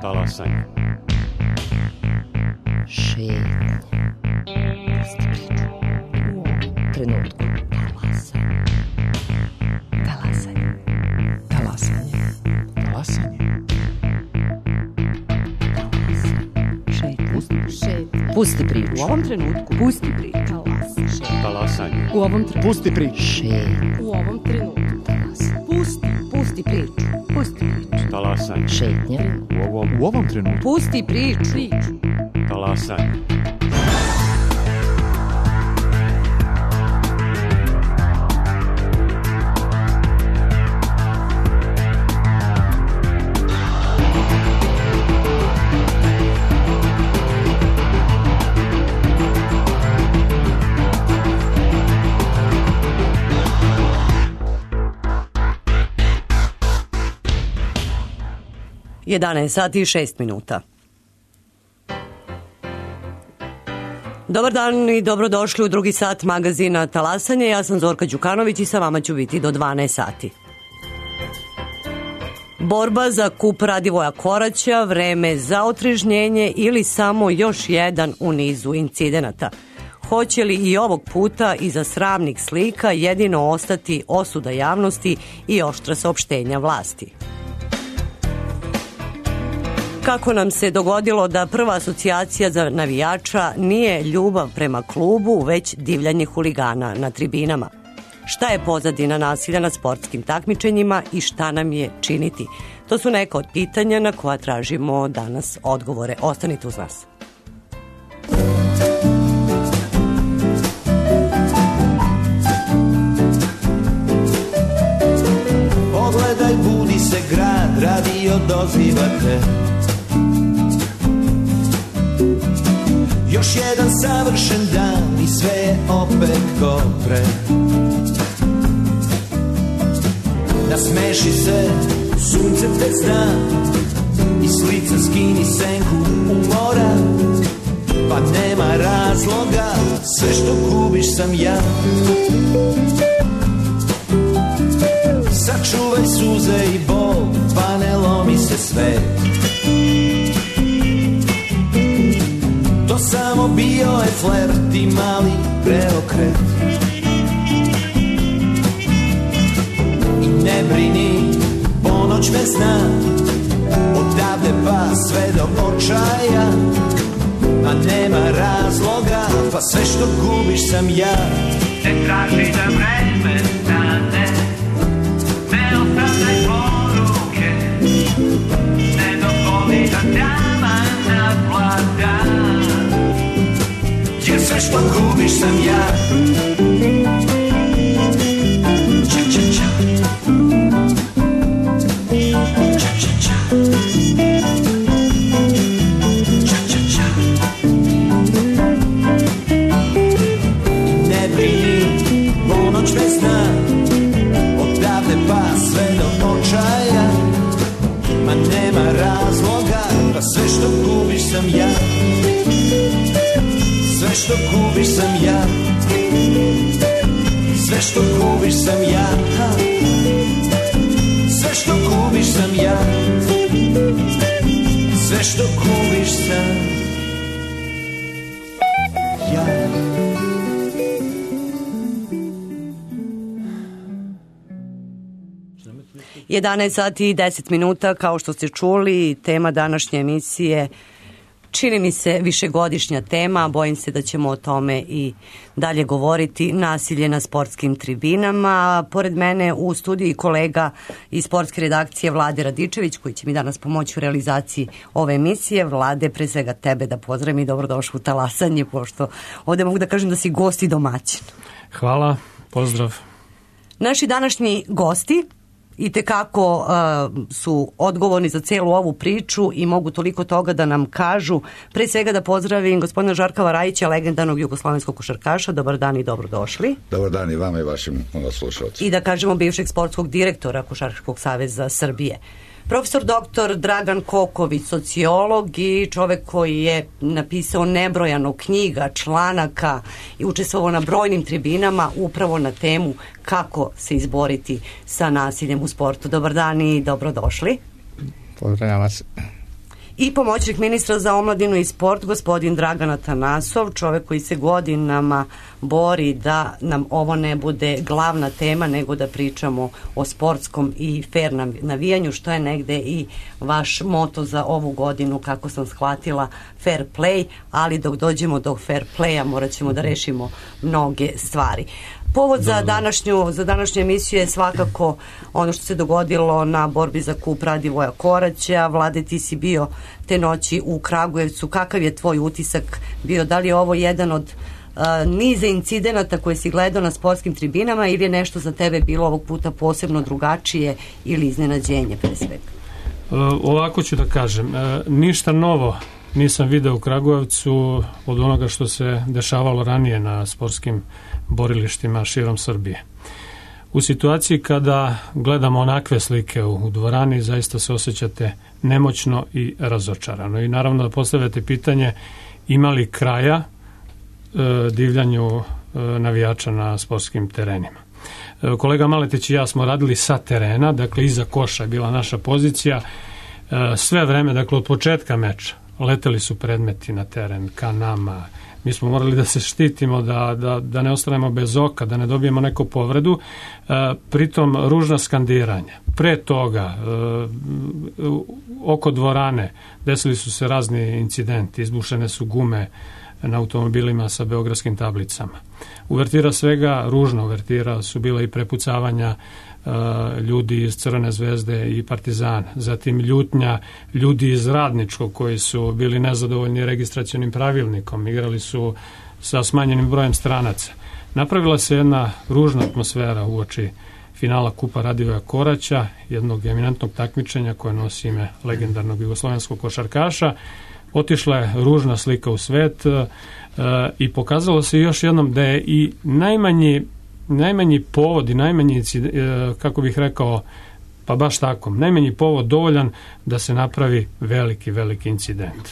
Talasanje. Šetnja. Pusti priču. U trenutku. Talasanje. Talasanje. Talasanje. Šetnja. Pusti priču. U ovom trenutku. Pusti priču. Talasanje. U ovom trenutku. Pusti priču. Šetnja. U ovom trenutku. Pusti priču. Pusti priču. Talasanje. Šetnja. U ovom trenutku. Pusti priču. Talasanje. Jedanaest sati i 6 minuta. Dobar dan i dobrodošli u drugi sat magazina Talasanje. Ja sam Zorka Đukanović i sa vama ću biti do 12 sati. Borba za kup Radivoja Koraća, vreme za otrežnjenje ili samo još jedan u nizu incidenata. Hoće li i ovog puta iza sramnih slika jedino ostati osuda javnosti i oštra saopštenja vlasti? Kako nam se dogodilo da prva asocijacija za navijača nije ljubav prema klubu, već divljanje huligana na tribinama? Šta je pozadina nasilja na sportskim takmičenjima i šta nam je činiti? To su neka od pitanja na koja tražimo danas odgovore. Ostanite uz nas. Pogledaj, budi se grad, radio dozivate. Još jedan savršen dan i sve je opet ko pre. Nasmeši se, sunce te zna, i s lica skini senku umora. Pa nema razloga, sve što gubiš sam ja. Sačuvaj suze i bol, pa ne lomi se svet. To samo bio je flert i mali preokret. I ne brini, ponoć me zna, odavde pa sve do očaja. A nema razloga, pa sve što gubiš sam ja. Ne traži da vreme stane, ne ostavljaj poruke, ne dovoli da tama naplada. Jer sve što gubiš sam ja. Ča, ča, ča. Ča, ča, ča. Ča, ča, ča. Ne brini, ponoć me zna, odavde pa sve do očaja. Ma nema razloga, pa sve što gubiš sam ja. Sve što gubiš sam ja. Sve što gubiš sam ja. Sve što gubiš sam ja. Sve što gubiš sam ja. 11 sati i 10 minuta, kao što ste čuli, tema današnje emisije čini mi se višegodišnja tema, bojim se da ćemo o tome i dalje govoriti, nasilje na sportskim tribinama. Pored mene u studiju i kolega iz sportske redakcije Vlade Radičević, koji će mi danas pomoći u realizaciji ove emisije. Vlade, pre svega tebe da pozdravim i dobrodošli u Talasanje, pošto ovde mogu da kažem da si gost i domaćin. Hvala, pozdrav. Naši današnji gosti itekako su odgovorni za celu ovu priču i mogu toliko toga da nam kažu. Pre svega da pozdravim gospodina Žarka Varajića, legendarnog jugoslovenskog košarkaša. Dobar dan i dobrodošli. Dobar dan i vama i vašim slušalcima. I da kažemo bivšeg sportskog direktora Košarkaškog saveza Srbije. Profesor doktor Dragan Koković, sociolog i čovek koji je napisao nebrojano knjiga, članaka i učestvovao na brojnim tribinama upravo na temu kako se izboriti sa nasiljem u sportu. Dobar dan i dobrodošli. Pozdravljam vas. i pomoćnik ministra za omladinu i sport gospodin Dragan Atanasov, čovek koji se godinama bori da nam ovo ne bude glavna tema, nego da pričamo o sportskom i fair navijanju, što je negde i vaš moto za ovu godinu, kako sam shvatila, fair play, ali dok dođemo do fair playa morat ćemo da rešimo mnoge stvari. Povod za današnju emisiju je svakako ono što se dogodilo na borbi za kup Radivoja Koraća. Vlade, ti si bio te noći u Kragujevcu. Kakav je tvoj utisak bio? Da li je ovo jedan od niza incidenata koje si gledao na sportskim tribinama ili je nešto za tebe bilo ovog puta posebno drugačije ili iznenađenje pre svega? Ovako ću da kažem. Ništa novo nisam video u Kragujevcu od onoga što se dešavalo ranije na sportskim borilištima širom Srbije. U situaciji kada gledamo onakve slike u dvorani, zaista se osjećate nemoćno i razočarano. I naravno da postavljate pitanje ima li kraja divljanju navijača na sportskim terenima. Kolega Maletić i ja smo radili sa terena, dakle iza koša je bila naša pozicija. Sve vreme, dakle od početka meča, leteli su predmeti na teren ka nama. Mi smo morali da se štitimo, da ne ostanemo bez oka, da ne dobijemo neku povredu. Pritom ružna skandiranja. Pre toga, oko dvorane, desili su se razni incidenti, izbušene su gume na automobilima sa beogradskim tablicama. Uvertira svega, ružna uvertira su bila i prepucavanja ljudi iz Crvene zvezde i Partizana, zatim ljutnja ljudi iz Radničkog koji su bili nezadovoljni registracionim pravilnikom, igrali su sa smanjenim brojem stranaca. Napravila se jedna ružna atmosfera uoči finala Kupa Radivoja Koraća, jednog eminentnog takmičenja koje nosi ime legendarnog jugoslovenskog košarkaša. Otišla je ružna slika u svet i pokazalo se još jednom da je i najmanji povod i najmanji, kako bih rekao, pa baš tako, najmanji povod dovoljan da se napravi veliki incident.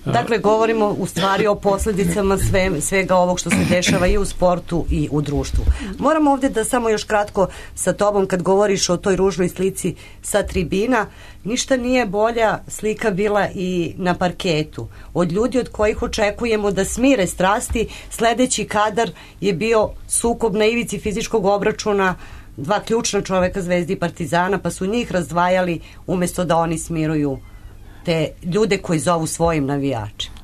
Dakle, govorimo u stvari o posljedicama svega ovog što se dešava i u sportu i u društvu. Moram ovdje da samo još kratko sa tobom, kad govoriš o toj ružnoj slici sa tribina, ništa nije bolja slika bila i na parketu. Od ljudi od kojih očekujemo da smire strasti, sledeći kadar je bio sukob na ivici fizičkog obračuna dva ključna čoveka Zvezdi i Partizana, pa su njih razdvajali umjesto da oni smiruju te ljude koji zovu svojim navijačima.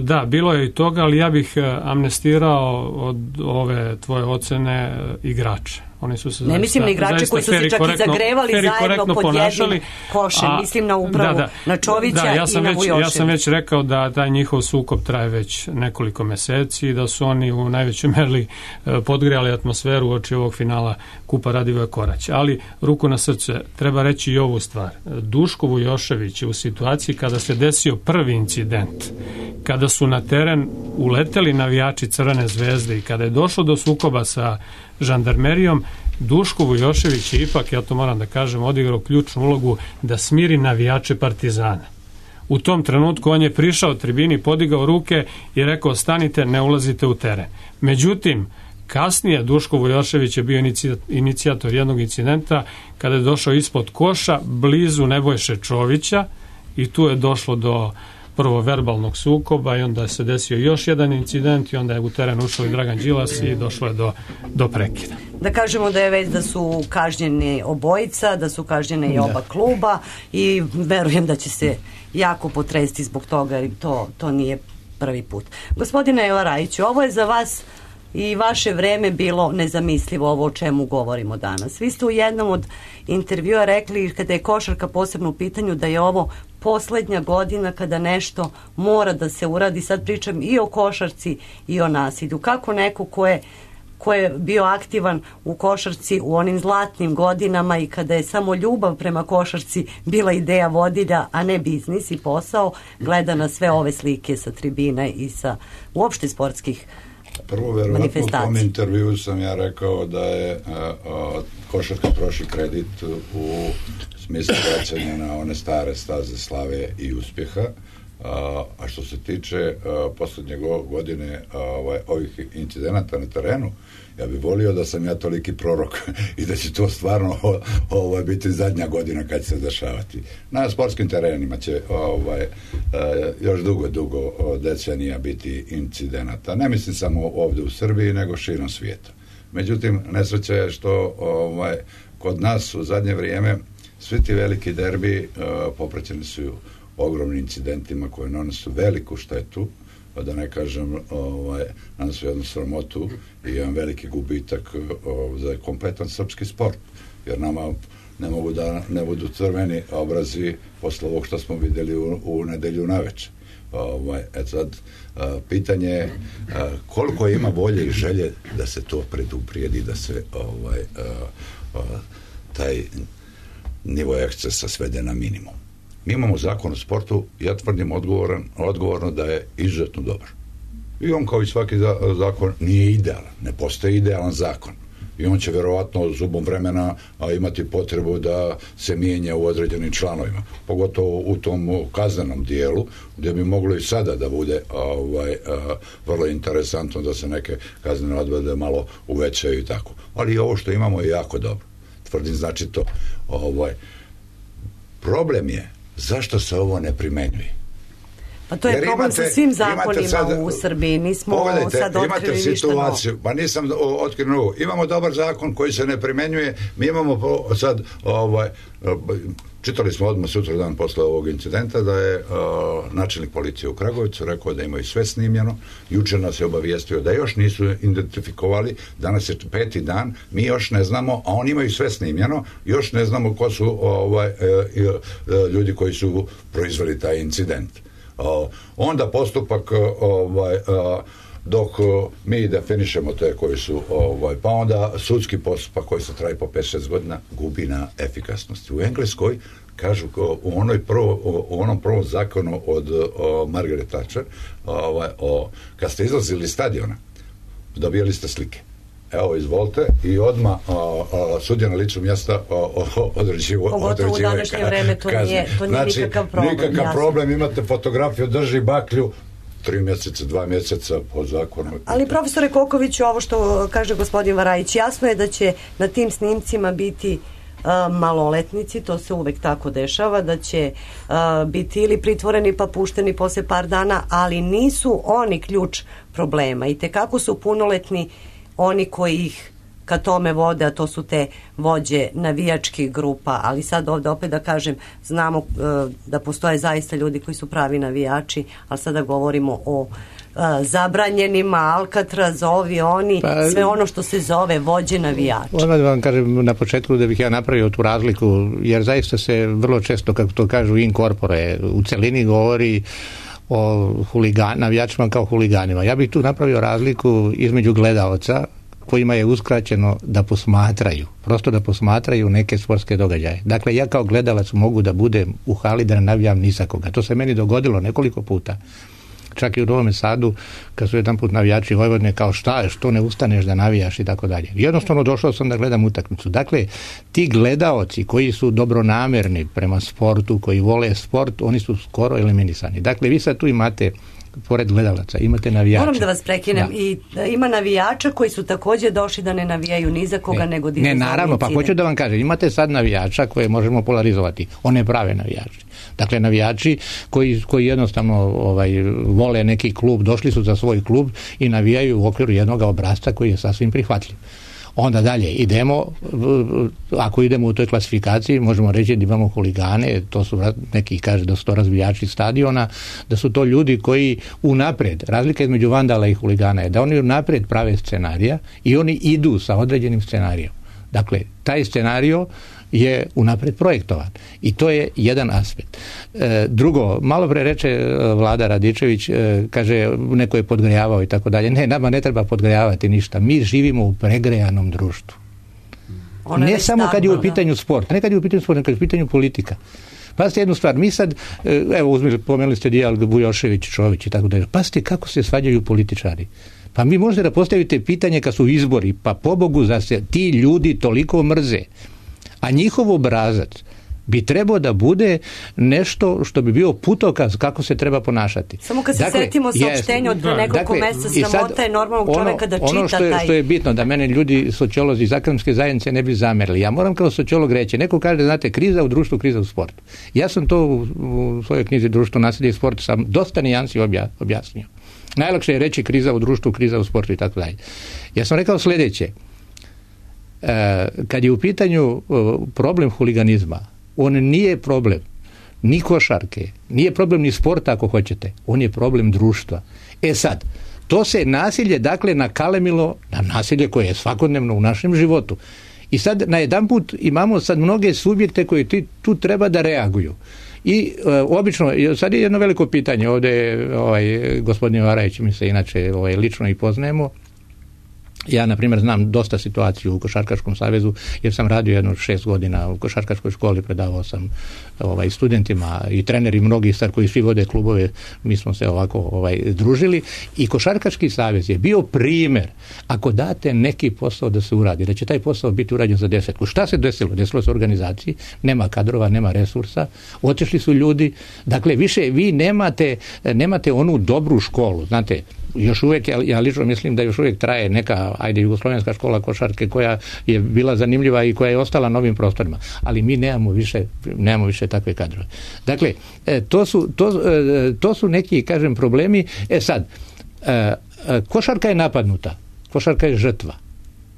Da, bilo je i toga, ali ja bih amnestirao od ove tvoje ocene igrače. Oni su se ne mislim na igrače koji su se čak i zagrevali zajedno pod jednim košem, mislim na upravu, na Čovića i na Vujoševića. Ja sam već rekao da taj njihov sukob traje već nekoliko meseci i da su oni u najvećoj meri podgrejali atmosferu uoči ovog finala Kupa Radivoja Koraća. Ali ruku na srce, treba reći i ovu stvar. Duško Vujošević je u situaciji kada se desio prvi incident, kada su na teren uleteli navijači Crvene zvezde i kada je došlo do sukoba sa žandarmerijom, Duško Vujošević je ipak, ja to moram da kažem, odigrao ključnu ulogu da smiri navijače Partizana. U tom trenutku on je prišao tribini, podigao ruke i rekao stanite, ne ulazite u teren. Međutim, kasnije Duško Vujošević je bio inicijator jednog incidenta kada je došao ispod koša blizu Nebojše Čovića i tu je došlo do prvo verbalnog sukoba i onda se desio još jedan incident i onda je u teren ušao i Dragan Đilas i došlo je do prekida. Da kažemo da je već da su kažnjeni obojica, da su kažnjene i oba kluba i verujem da će se jako potresti zbog toga jer to nije prvi put. Gospodine Jovarajiću, ovo je za vas i vaše vreme bilo nezamislivo ovo o čemu govorimo danas. Vi ste u jednom od intervjua rekli kada je košarka posebno u pitanju da je ovo poslednja godina kada nešto mora da se uradi. Sad pričam i o košarci i o nasilju. Kako neko ko je bio aktivan u košarci u onim zlatnim godinama i kada je samo ljubav prema košarci bila ideja vodilja, a ne biznis i posao, gleda na sve ove slike sa tribina i sa uopšte sportskih prvo, verovatno u tom intervju sam ja rekao da je košarka prošli kredit u smislu vraćanja na one stare staze slave i uspjeha. A što se tiče poslednje godine ovih incidenata na terenu, ja bih volio da sam ja toliki prorok i da će to stvarno biti zadnja godina kad će se dešavati. Na sportskim terenima će još dugo decenija biti incidenata. Ne mislim samo ovde u Srbiji, nego širom svijeta. Međutim, nesreća je što kod nas u zadnje vrijeme svi ti veliki derbi popraćeni su ogromnim incidentima koje nanose veliku štetu, da ne kažem nanose jednu sramotu i jedan veliki gubitak za kompletan srpski sport, jer nama ne mogu da ne budu crveni obrazi posle ovog što smo vidjeli u nedelju naveče. Sad, pitanje je koliko ima volje i želje da se to preduprijedi, da se taj nivo ekscesa svede na minimum. Mi imamo zakon o sportu, ja tvrdim odgovorno da je izuzetno dobar. I on, kao i svaki zakon, nije idealan, ne postoji idealan zakon. I on će verovatno zubom vremena imati potrebu da se mijenja u određenim članovima, pogotovo u tom kaznenom dijelu, gdje bi moglo i sada da bude vrlo interesantno da se neke kaznene odredbe malo uvećaju i tako. Ali ovo što imamo je jako dobro. Tvrdim, znači to. Problem je zašto se ovo ne primenjuje. Pa to je problem sa svim zakonima u Srbiji. Nismo sad otkrili ništa situaciju, pa nisam otkrio novo. Imamo dobar zakon koji se ne primenjuje. Mi imamo sad čitali smo odmah sutra dan posle ovog incidenta da je načelnik policije u Kragujevcu rekao da imaju sve snimljeno. Juče nas je obavijestio da još nisu identifikovali. Danas je 5. dan, mi još ne znamo, a oni imaju sve snimljeno, još ne znamo ko su ljudi koji su proizveli taj incident. Onda postupak dok mi definišemo te koji su pa onda sudski postupak koji se traji po 5-6 godina gubi na efikasnosti. U Engleskoj kažu u onom prvom zakonu od Margaret Thatcher kad ste izlazili iz stadiona dobijali ste slike. Evo, izvolite, i odmah sudija na licu mjesta određivo. Pogotovo u današnje vreme to nije nikakav problem. Nikakav problem, imate fotografiju, drži baklju, 3 mjeseca, 2 mjeseca po zakonu. Ali profesore Kokoviću, ovo što kaže gospodin Varajić, jasno je da će na tim snimcima biti maloletnici, to se uvek tako dešava, da će biti ili pritvoreni pa pušteni posle par dana, ali nisu oni ključ problema. I tekako su punoletni oni koji ih ka tome vode, a to su te vođe navijačkih grupa, ali sad ovdje opet da kažem, znamo da postoje zaista ljudi koji su pravi navijači, ali sada govorimo o zabranjenima, Alcatraz, ovi, oni, sve ono što se zove vođe navijača. Odmah da vam kažem na početku da bih ja napravio tu razliku, jer zaista se vrlo često, kako to kažu in corpore, u celini govori o navijačima kao huliganima. Ja bih tu napravio razliku između gledaoca kojima je uskraćeno da posmatraju, prosto da posmatraju neke sportske događaje. Dakle, ja kao gledalac mogu da budem u hali da ne navijam ni sa koga. To se meni dogodilo nekoliko puta. Čak i u Novom Sadu, kad su jedan put navijači Vojvodine kao što ne ustaneš da navijaš i tako dalje. Jednostavno došao sam da gledam utakmicu. Dakle, ti gledaoci koji su dobronamerni prema sportu, koji vole sport, oni su skoro eliminisani. Dakle, vi sad tu imate pored gledalaca, imate navijača. Moram da vas prekinem, i ima navijača koji su također došli da ne navijaju ni za koga, nego ne, naravno, pa hoću da vam kažem, imate sad navijača koje možemo polarizovati, one prave navijači. Dakle, navijači koji jednostavno vole neki klub, došli su za svoj klub i navijaju u okviru jednog obrasca koji je sasvim prihvatljiv. Onda dalje idemo, ako idemo u toj klasifikaciji, možemo reći da imamo huligane, to su neki kaže da su to razbijači stadiona, da su to ljudi koji unaprijed, razlika između vandala i huligana je da oni unaprijed prave scenarija i oni idu sa određenim scenarijom. Dakle, taj scenario je unaprijed projektovan i to je jedan aspekt. Drugo, malo pre reče Vlada Radičević, kaže neko je podgrejavao i tako dalje. Ne, nama ne treba podgrejavati ništa. Mi živimo u pregrejanom društvu. Ne samo kad je u pitanju sport, ne kad je u pitanju sport, nego kad je u pitanju politika. Pazite jednu stvar, mi sad, evo pomenuli ste dijalog Bujošević, Čović i tako dalje. Pazite kako se svađaju političari. Pa mi možete da postavite pitanje kad su izbori, pa pobogu za se ti ljudi toliko mrze, a njihov obrazac bi trebao da bude nešto što bi bio putokaz kako se treba ponašati. Samo kad se setimo saopštenja od pre nekoliko meseca, sramota je normalnog čoveka da čita ono što je bitno, da mene ljudi, sociolozi iz akademske zajednice ne bi zamerili. Ja moram kao sociolog reći, neko kaže, znate, kriza u društvu, kriza u sportu. Ja sam to u svojoj knjizi Društvo, nasilje i sport sam dosta nijansi objasnio. Najlakše je reći kriza u društvu, kriza u sportu i tako dalje. Ja sam rekao sljedeće. Kad je u pitanju problem huliganizma, on nije problem ni košarke, nije problem ni sporta ako hoćete, on je problem društva. Sad, to se nasilje dakle nakalemilo na nasilje koje je svakodnevno u našem životu. I sad najedanput imamo sad mnoge subjekte koji tu treba da reaguju. I obično, sad je jedno veliko pitanje, ovdje gospodin Varajić, mi se inače lično i poznajemo. Ja, na primjer, znam dosta situaciju u Košarkaškom savezu, jer sam radio jedno 6 godina u košarkaškoj školi, predavao sam studentima i treneri mnogi sad koji svi vode klubove, mi smo se ovako družili i Košarkaški savez je bio primjer ako date neki posao da se uradi, da će taj posao biti urađen za 10. Šta se desilo? Desilo se organizaciji, nema kadrova, nema resursa, otišli su ljudi, dakle više vi nemate onu dobru školu, znate, još uvijek, ja lično mislim da još uvijek traje neka, jugoslovenska škola košarke koja je bila zanimljiva i koja je ostala na ovim prostorima, ali mi nemamo više takve kadrove. Dakle, to su neki, kažem, problemi. Sad, košarka je napadnuta, košarka je žrtva.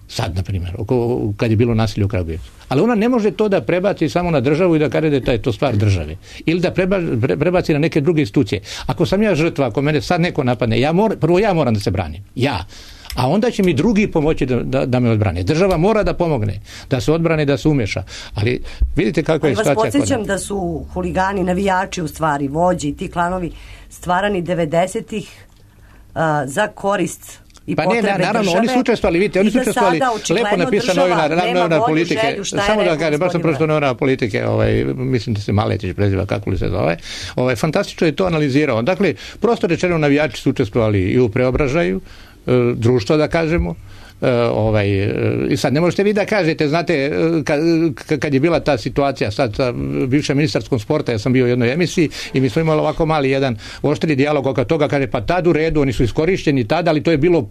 Sad, na primjer, kad je bilo nasilje u Kragujevcu. Ali ona ne može to da prebaci samo na državu i da kaže da je to stvar države. Ili da prebaci na neke druge institucije. Ako sam ja žrtva, ako mene sad neko napadne, prvo ja moram da se branim. Ja. A onda će mi drugi pomoći da me odbrane. Država mora da pomogne, da se odbrane, da se umeša. Ali vidite kakva je situacija. Ali vas podsjećam da su huligani, navijači u stvari, vođi i ti klanovi stvarani 90-ih za korist i potrebe države. Naravno, oni su učestvovali, vidite, oni su učestvovali, lepo napisano novinar politike, samo da kažem, baš sam pročitao novinar politike, mislim da se Maletić preziva, kako li se zove, fantastično je to analizirao. Dakle, prosto rečeno, navijači su učestvovali i u preobražaju društva, da kažemo, i sad ne možete vi da kažete, znate, kad je bila ta situacija sad sa bivšem ministarskom sporta, ja sam bio u jednoj emisiji i mi smo imali ovako mali jedan oštri dijalog oko toga, kaže, pa tad u redu, oni su iskorišteni tada, ali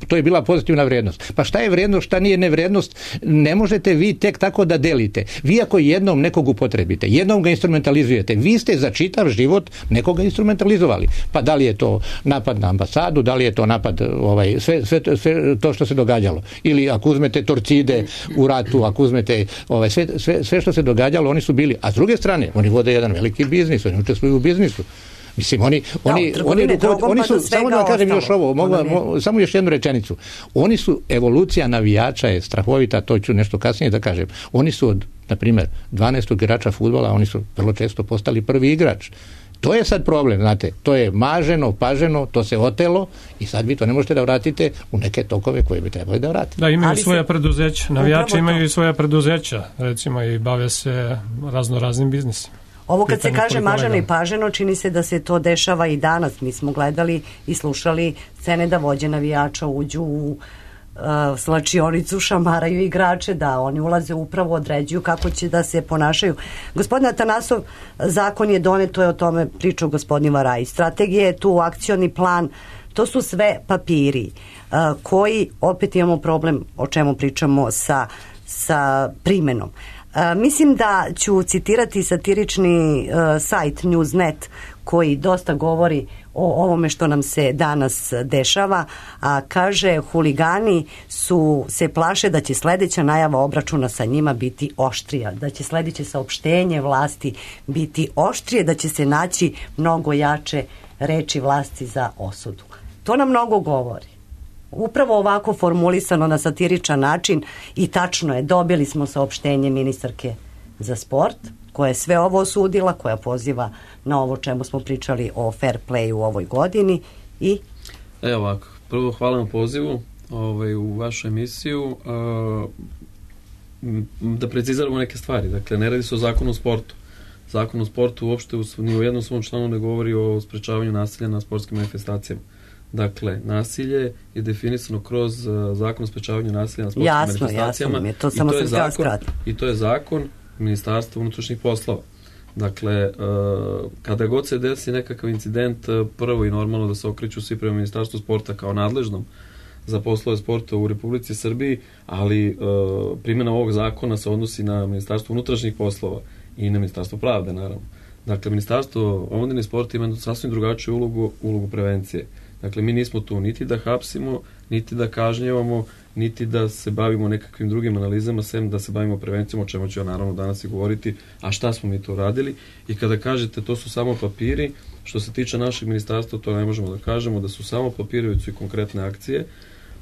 to je bila pozitivna vrijednost. Pa šta je vrijednost, šta nije nevrijednost, ne možete vi tek tako da delite. Vi ako jednom nekog upotrebite, jednom ga instrumentalizujete, vi ste za čitav život nekoga instrumentalizovali. Pa da li je to napad na ambasadu, da li je to napad, sve to što se događalo. Ili ako uzmete Torcide u ratu, ako uzmete sve što se događalo, oni su bili. A s druge strane, oni vode jedan veliki biznis, oni učestvuju u biznisu. Mislim, oni su, samo da kažem još ovo, samo još jednu rečenicu. Oni su, evolucija navijača je strahovita, to ću nešto kasnije da kažem. Oni su od, na primjer, 12. igrača fudbala, oni su vrlo često postali prvi igrač. To je sad problem, znate, to je maženo, paženo, to se otelo i sad vi to ne možete da vratite u neke tokove koje bi trebali da vratite. Da, imaju svoja preduzeća, navijači imaju i svoja preduzeća, recimo, i bave se raznim biznisima. Ovo kad se kaže maženo i paženo, čini se da se to dešava i danas. Mi smo gledali i slušali scene da vođe navijača uđu u slačionicu, šamaraju igrače, da oni ulaze, upravo određuju kako će da se ponašaju. Gospodin Atanasov, zakon je donet, to je o tome pričao gospodin Varaj. Strategija je tu, akcioni plan, to su sve papiri koji, opet imamo problem o čemu pričamo sa primenom. Mislim da ću citirati satirični sajt Newsnet koji dosta govori o ovome što nam se danas dešava, a kaže, huligani se plaše da će sljedeća najava obračuna sa njima biti oštrija, da će sljedeće saopštenje vlasti biti oštrije, da će se naći mnogo jače reči vlasti za osudu. To nam mnogo govori. Upravo ovako formulisano na satiričan način i tačno je, dobili smo saopštenje ministarke za sport, koja je sve ovo osudila, koja poziva na ovo čemu smo pričali o fair play u ovoj godini i... Evo ovako, prvo hvala na pozivu u vašu emisiju. Da preciziramo neke stvari, dakle ne radi se o zakonu o sportu. Zakon o sportu uopšte ni u jednom svom članu ne govori o sprečavanju nasilja na sportskim manifestacijama. Dakle, nasilje je definisano kroz zakon o sprečavanju nasilja na sportskim manifestacijama. Jasno, to samo sam htjela skratiti. I to je zakon Ministarstva unutrašnjih poslova. Dakle, kada god se desi nekakav incident, prvo i normalno da se okreću svi prema Ministarstvu sporta kao nadležnom za poslove sporta u Republici Srbiji, ali primjena ovog zakona se odnosi na Ministarstvo unutrašnjih poslova i na Ministarstvo pravde, naravno. Dakle, Ministarstvo omladine i sporta ima sasvim drugačiju ulogu prevencije. Dakle, mi nismo tu niti da hapsimo, niti da kažnjevamo, niti da se bavimo nekakvim drugim analizama, sem da se bavimo prevencijom, o čemu ću ja naravno danas i govoriti, a šta smo mi to radili. I kada kažete to su samo papiri, što se tiče našeg ministarstva, to ne možemo da kažemo da su samo papiri, već su i konkretne akcije.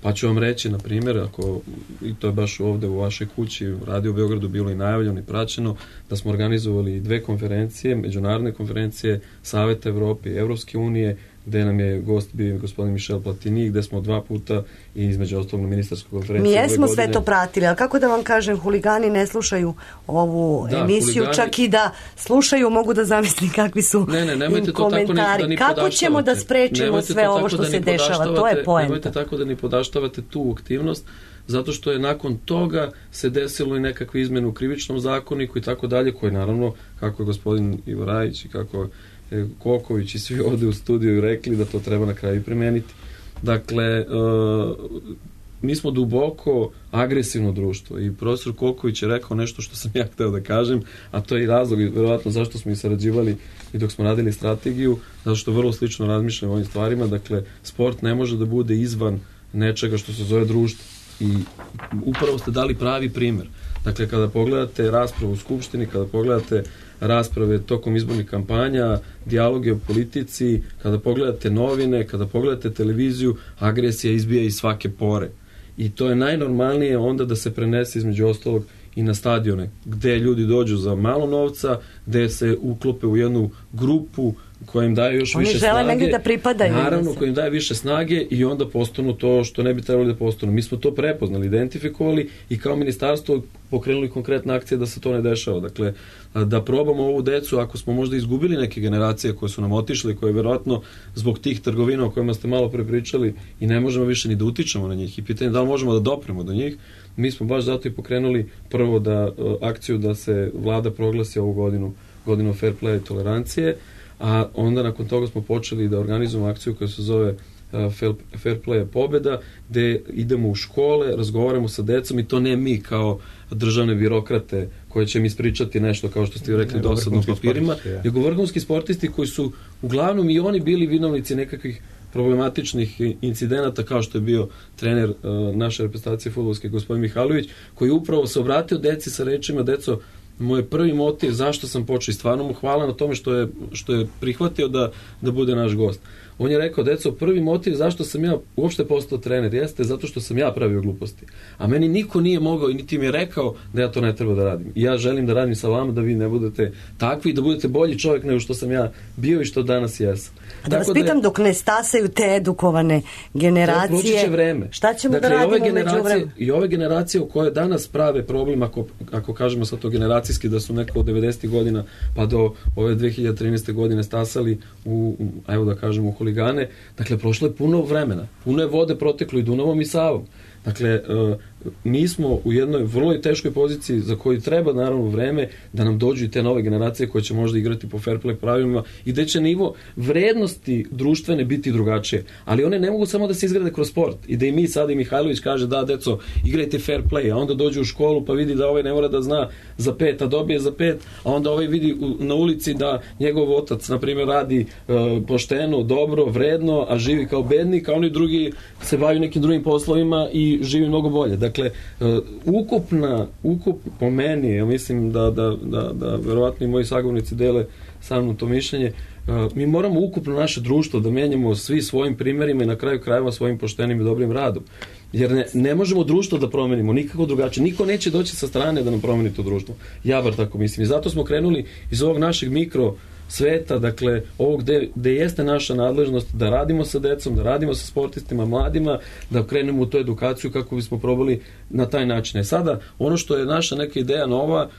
Pa ću vam reći, na primjer, ako, i to je baš ovde u vašoj kući, u Radio Beogradu bilo i najavljeno i praćeno, da smo organizovali 2 konferencije, međunarodne konferencije Saveta Evrope i Evropske unije, gde nam je gost bio gospodin Michel Platini, gde smo 2 puta i između ostalog na ministarskoj konferenciji. Mi jesmo sve to pratili, ali kako da vam kažem, huligani ne slušaju ovu emisiju, huligani, čak i da slušaju mogu da zamislim kakvi su im komentari. Kako ćemo da sprečimo sve ovo što se dešava, to je poenta. Nemojte tako da ni podaštavate tu aktivnost, zato što je nakon toga se desilo i nekakve izmene u krivičnom zakoniku i tako dalje, koji naravno, kako je gospodin Ivo Rajić i kako Koković i svi ovde u studiju rekli da to treba na kraju primeniti. Dakle, mi smo duboko agresivno društvo i profesor Koković je rekao nešto što sam ja hteo da kažem, a to je i razlog verovatno zašto smo i sarađivali i dok smo radili strategiju, zato što vrlo slično razmišljamo o ovim stvarima. Dakle, sport ne može da bude izvan nečega što se zove društvo i upravo ste dali pravi primer. Dakle, kada pogledate raspravu u Skupštini, kada pogledate rasprave tokom izbornih kampanja, dijaloge o politici, kada pogledate novine, kada pogledate televiziju, agresija izbija iz svake pore. I to je najnormalnije onda da se prenese između ostalog i na stadione, gde ljudi dođu za malo novca, gde se uklope u jednu grupu koja im daje još više snage. Oni žele negdje da pripadaju. Naravno, koja im daje više snage i onda postanu to što ne bi trebali da postanu. Mi smo to prepoznali, identifikovali i kao ministarstvo pokrenuli konkretne akcije da se to ne dešava. Dakle, da probamo ovu decu, ako smo možda izgubili neke generacije koje su nam otišli, koje verovatno zbog tih trgovina o kojima ste malo pre pričali i ne možemo više ni da utičemo na njih i pitanje da li možemo da dopremo do njih, mi smo baš zato i pokrenuli prvo akciju da se vlada proglasi ovu godinu fair play i tolerancije, a onda nakon toga smo počeli da organizujemo akciju koja se zove Fair Play pobeda, gde idemo u škole, razgovaramo sa decom i to ne mi kao državne birokrate koje će mi ispričati nešto kao što ste rekli dosadno papirima, nego vrhunski sportisti koji su uglavnom i oni bili vinovnici nekakvih problematičnih incidenata kao što je bio trener naše reprezentacije fudbalske gospodin Mihajlović, koji upravo se obratio deci sa rečima: deco, moj prvi motiv zašto sam počeo i stvarno mu hvala na tome što je prihvatio da bude naš gost. On je rekao: deco, prvi motiv zašto sam ja uopšte postao trener jeste zato što sam ja pravio gluposti. A meni niko nije mogao i niti mi je rekao da ja to ne treba da radim. I ja želim da radim sa vama da vi ne budete takvi i da budete bolji čovjek nego što sam ja bio i što danas jesam. A da vas pitam, dok ne stasaju te edukovane generacije, proći će vreme. Šta ćemo da radimo među vremenu? I ove generacije u koje danas prave problem, ako kažemo sad to generacijski, da su neko od 90. godina pa do ove 2013. godine stasali evo da kažemo u huligane, dakle prošlo je puno vremena, puno je vode proteklo i Dunavom i Savom. Dakle, mi smo u jednoj vrlo teškoj poziciji za koju treba naravno vreme da nam dođu i te nove generacije koje će možda igrati po fair play pravilima i da će nivo vrednosti društvene biti drugačije. Ali one ne mogu samo da se izgrade kroz sport i da i mi sad i Mihajlović kaže: da, deco, igrajte fair play, a onda dođu u školu pa vidi da ovaj ne mora da zna za 5, a dobije za 5, a onda ovaj vidi na ulici da njegov otac, na primjer, radi pošteno, dobro, vredno, a živi kao bednik, a oni drugi se bavaju nekim drugim poslovima i živi mnogo bolje. Dakle, ukupno po meni, ja mislim da verovatno i moji sagovornici dele sa mnom to mišljenje, mi moramo ukupno naše društvo da menjamo svi svojim primjerima i na kraju krajeva svojim poštenim i dobrim radom. Jer ne možemo društvo da promenimo nikako drugačije. Niko neće doći sa strane da nam promeni to društvo. Ja bar tako mislim. I zato smo krenuli iz ovog našeg mikro sveta, dakle, ovog gde jeste naša nadležnost da radimo sa decom, da radimo sa sportistima, mladima, da krenemo u tu edukaciju kako bismo probali na taj način. Sada, ono što je naša neka ideja nova,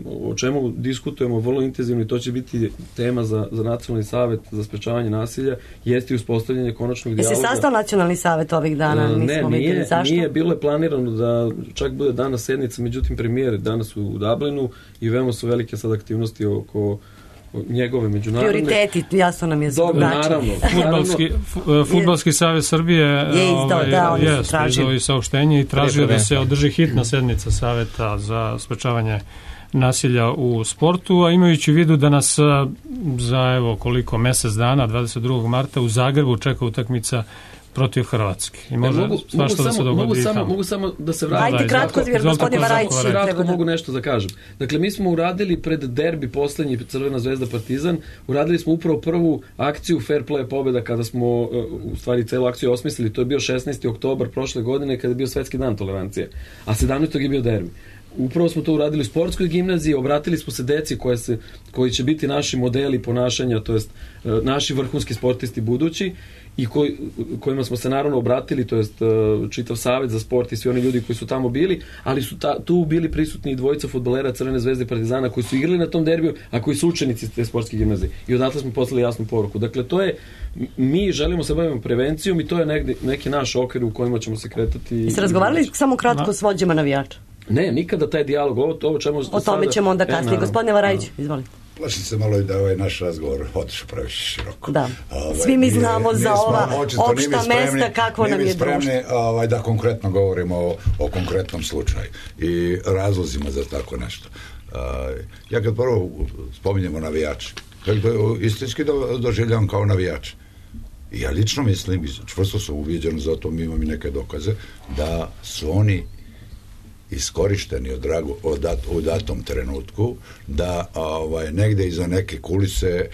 o čemu diskutujemo vrlo intenzivno i to će biti tema za Nacionalni savet za sprečavanje nasilja, jeste i uspostavljanje konačnog dijaloga. Se sastao Nacionalni savet ovih dana? Nije, bilo je planirano da čak bude danas sednica, međutim premijer danas u Dublinu i veoma su velike sad aktivnosti oko njegove međunarodne... Prioriteti, jasno nam je naravno. Fudbalski savez Srbije je izdao i saopštenje i tražio da se održi hitna sednica Saveta za sprečavanje nasilja u sportu, a imajući u vidu da nas za mesec dana, 22. marta u Zagrebu čeka utakmica protiv Hrvatske. I može svašta da se dogodi tamo. Mogu samo da se vratim. Ajde kratko, jer gospodin Varajić kratko mogu nešto da kažem. Dakle, mi smo uradili pred derbi poslednji Crvena zvezda Partizan, uradili smo upravo prvu akciju Fair Play pobjeda kada smo u stvari celu akciju osmislili. To je bio 16. oktobar prošle godine kada je bio Svetski dan tolerancije. A 17. je bio derbi. Upravo smo to uradili u sportskoj gimnaziji, obratili smo se deci koji će biti naši modeli ponašanja, to jest naši vrhunski sportisti budući i kojima smo se naravno obratili, to jest čitav savet za sport i svi oni ljudi koji su tamo bili, ali su tu bili prisutni i dvojica fudbalera Crvene zvezde i Partizana koji su igrali na tom derbiju, a koji su učenici te sportske gimnazije. I odatle smo poslali jasnu poruku. Dakle, to je, mi želimo se bavimo prevencijom i to je neki naš okvir u kojima ćemo se kretati. I se razgovarali samo kratko s vođama navijača? Ne, nikada taj dijalog, o tome ćemo onda kasnije. Gospodine Varajić, izvolite. Plašim se malo i da je naš razgovor otišao previše široko. Da. Svi mi znamo za ova opšta mesta kako nam je društvo. Mi spremni da konkretno govorimo o konkretnom slučaju i razlozima za tako nešto. Ja kad prvo spominjemo navijače, istinski doživljavam kao navijač. Ja lično mislim, čvrsto sam uviđen, zato mi imam i neke dokaze, da su oni iskorišteni u datom trenutku, da negde iza neke kulise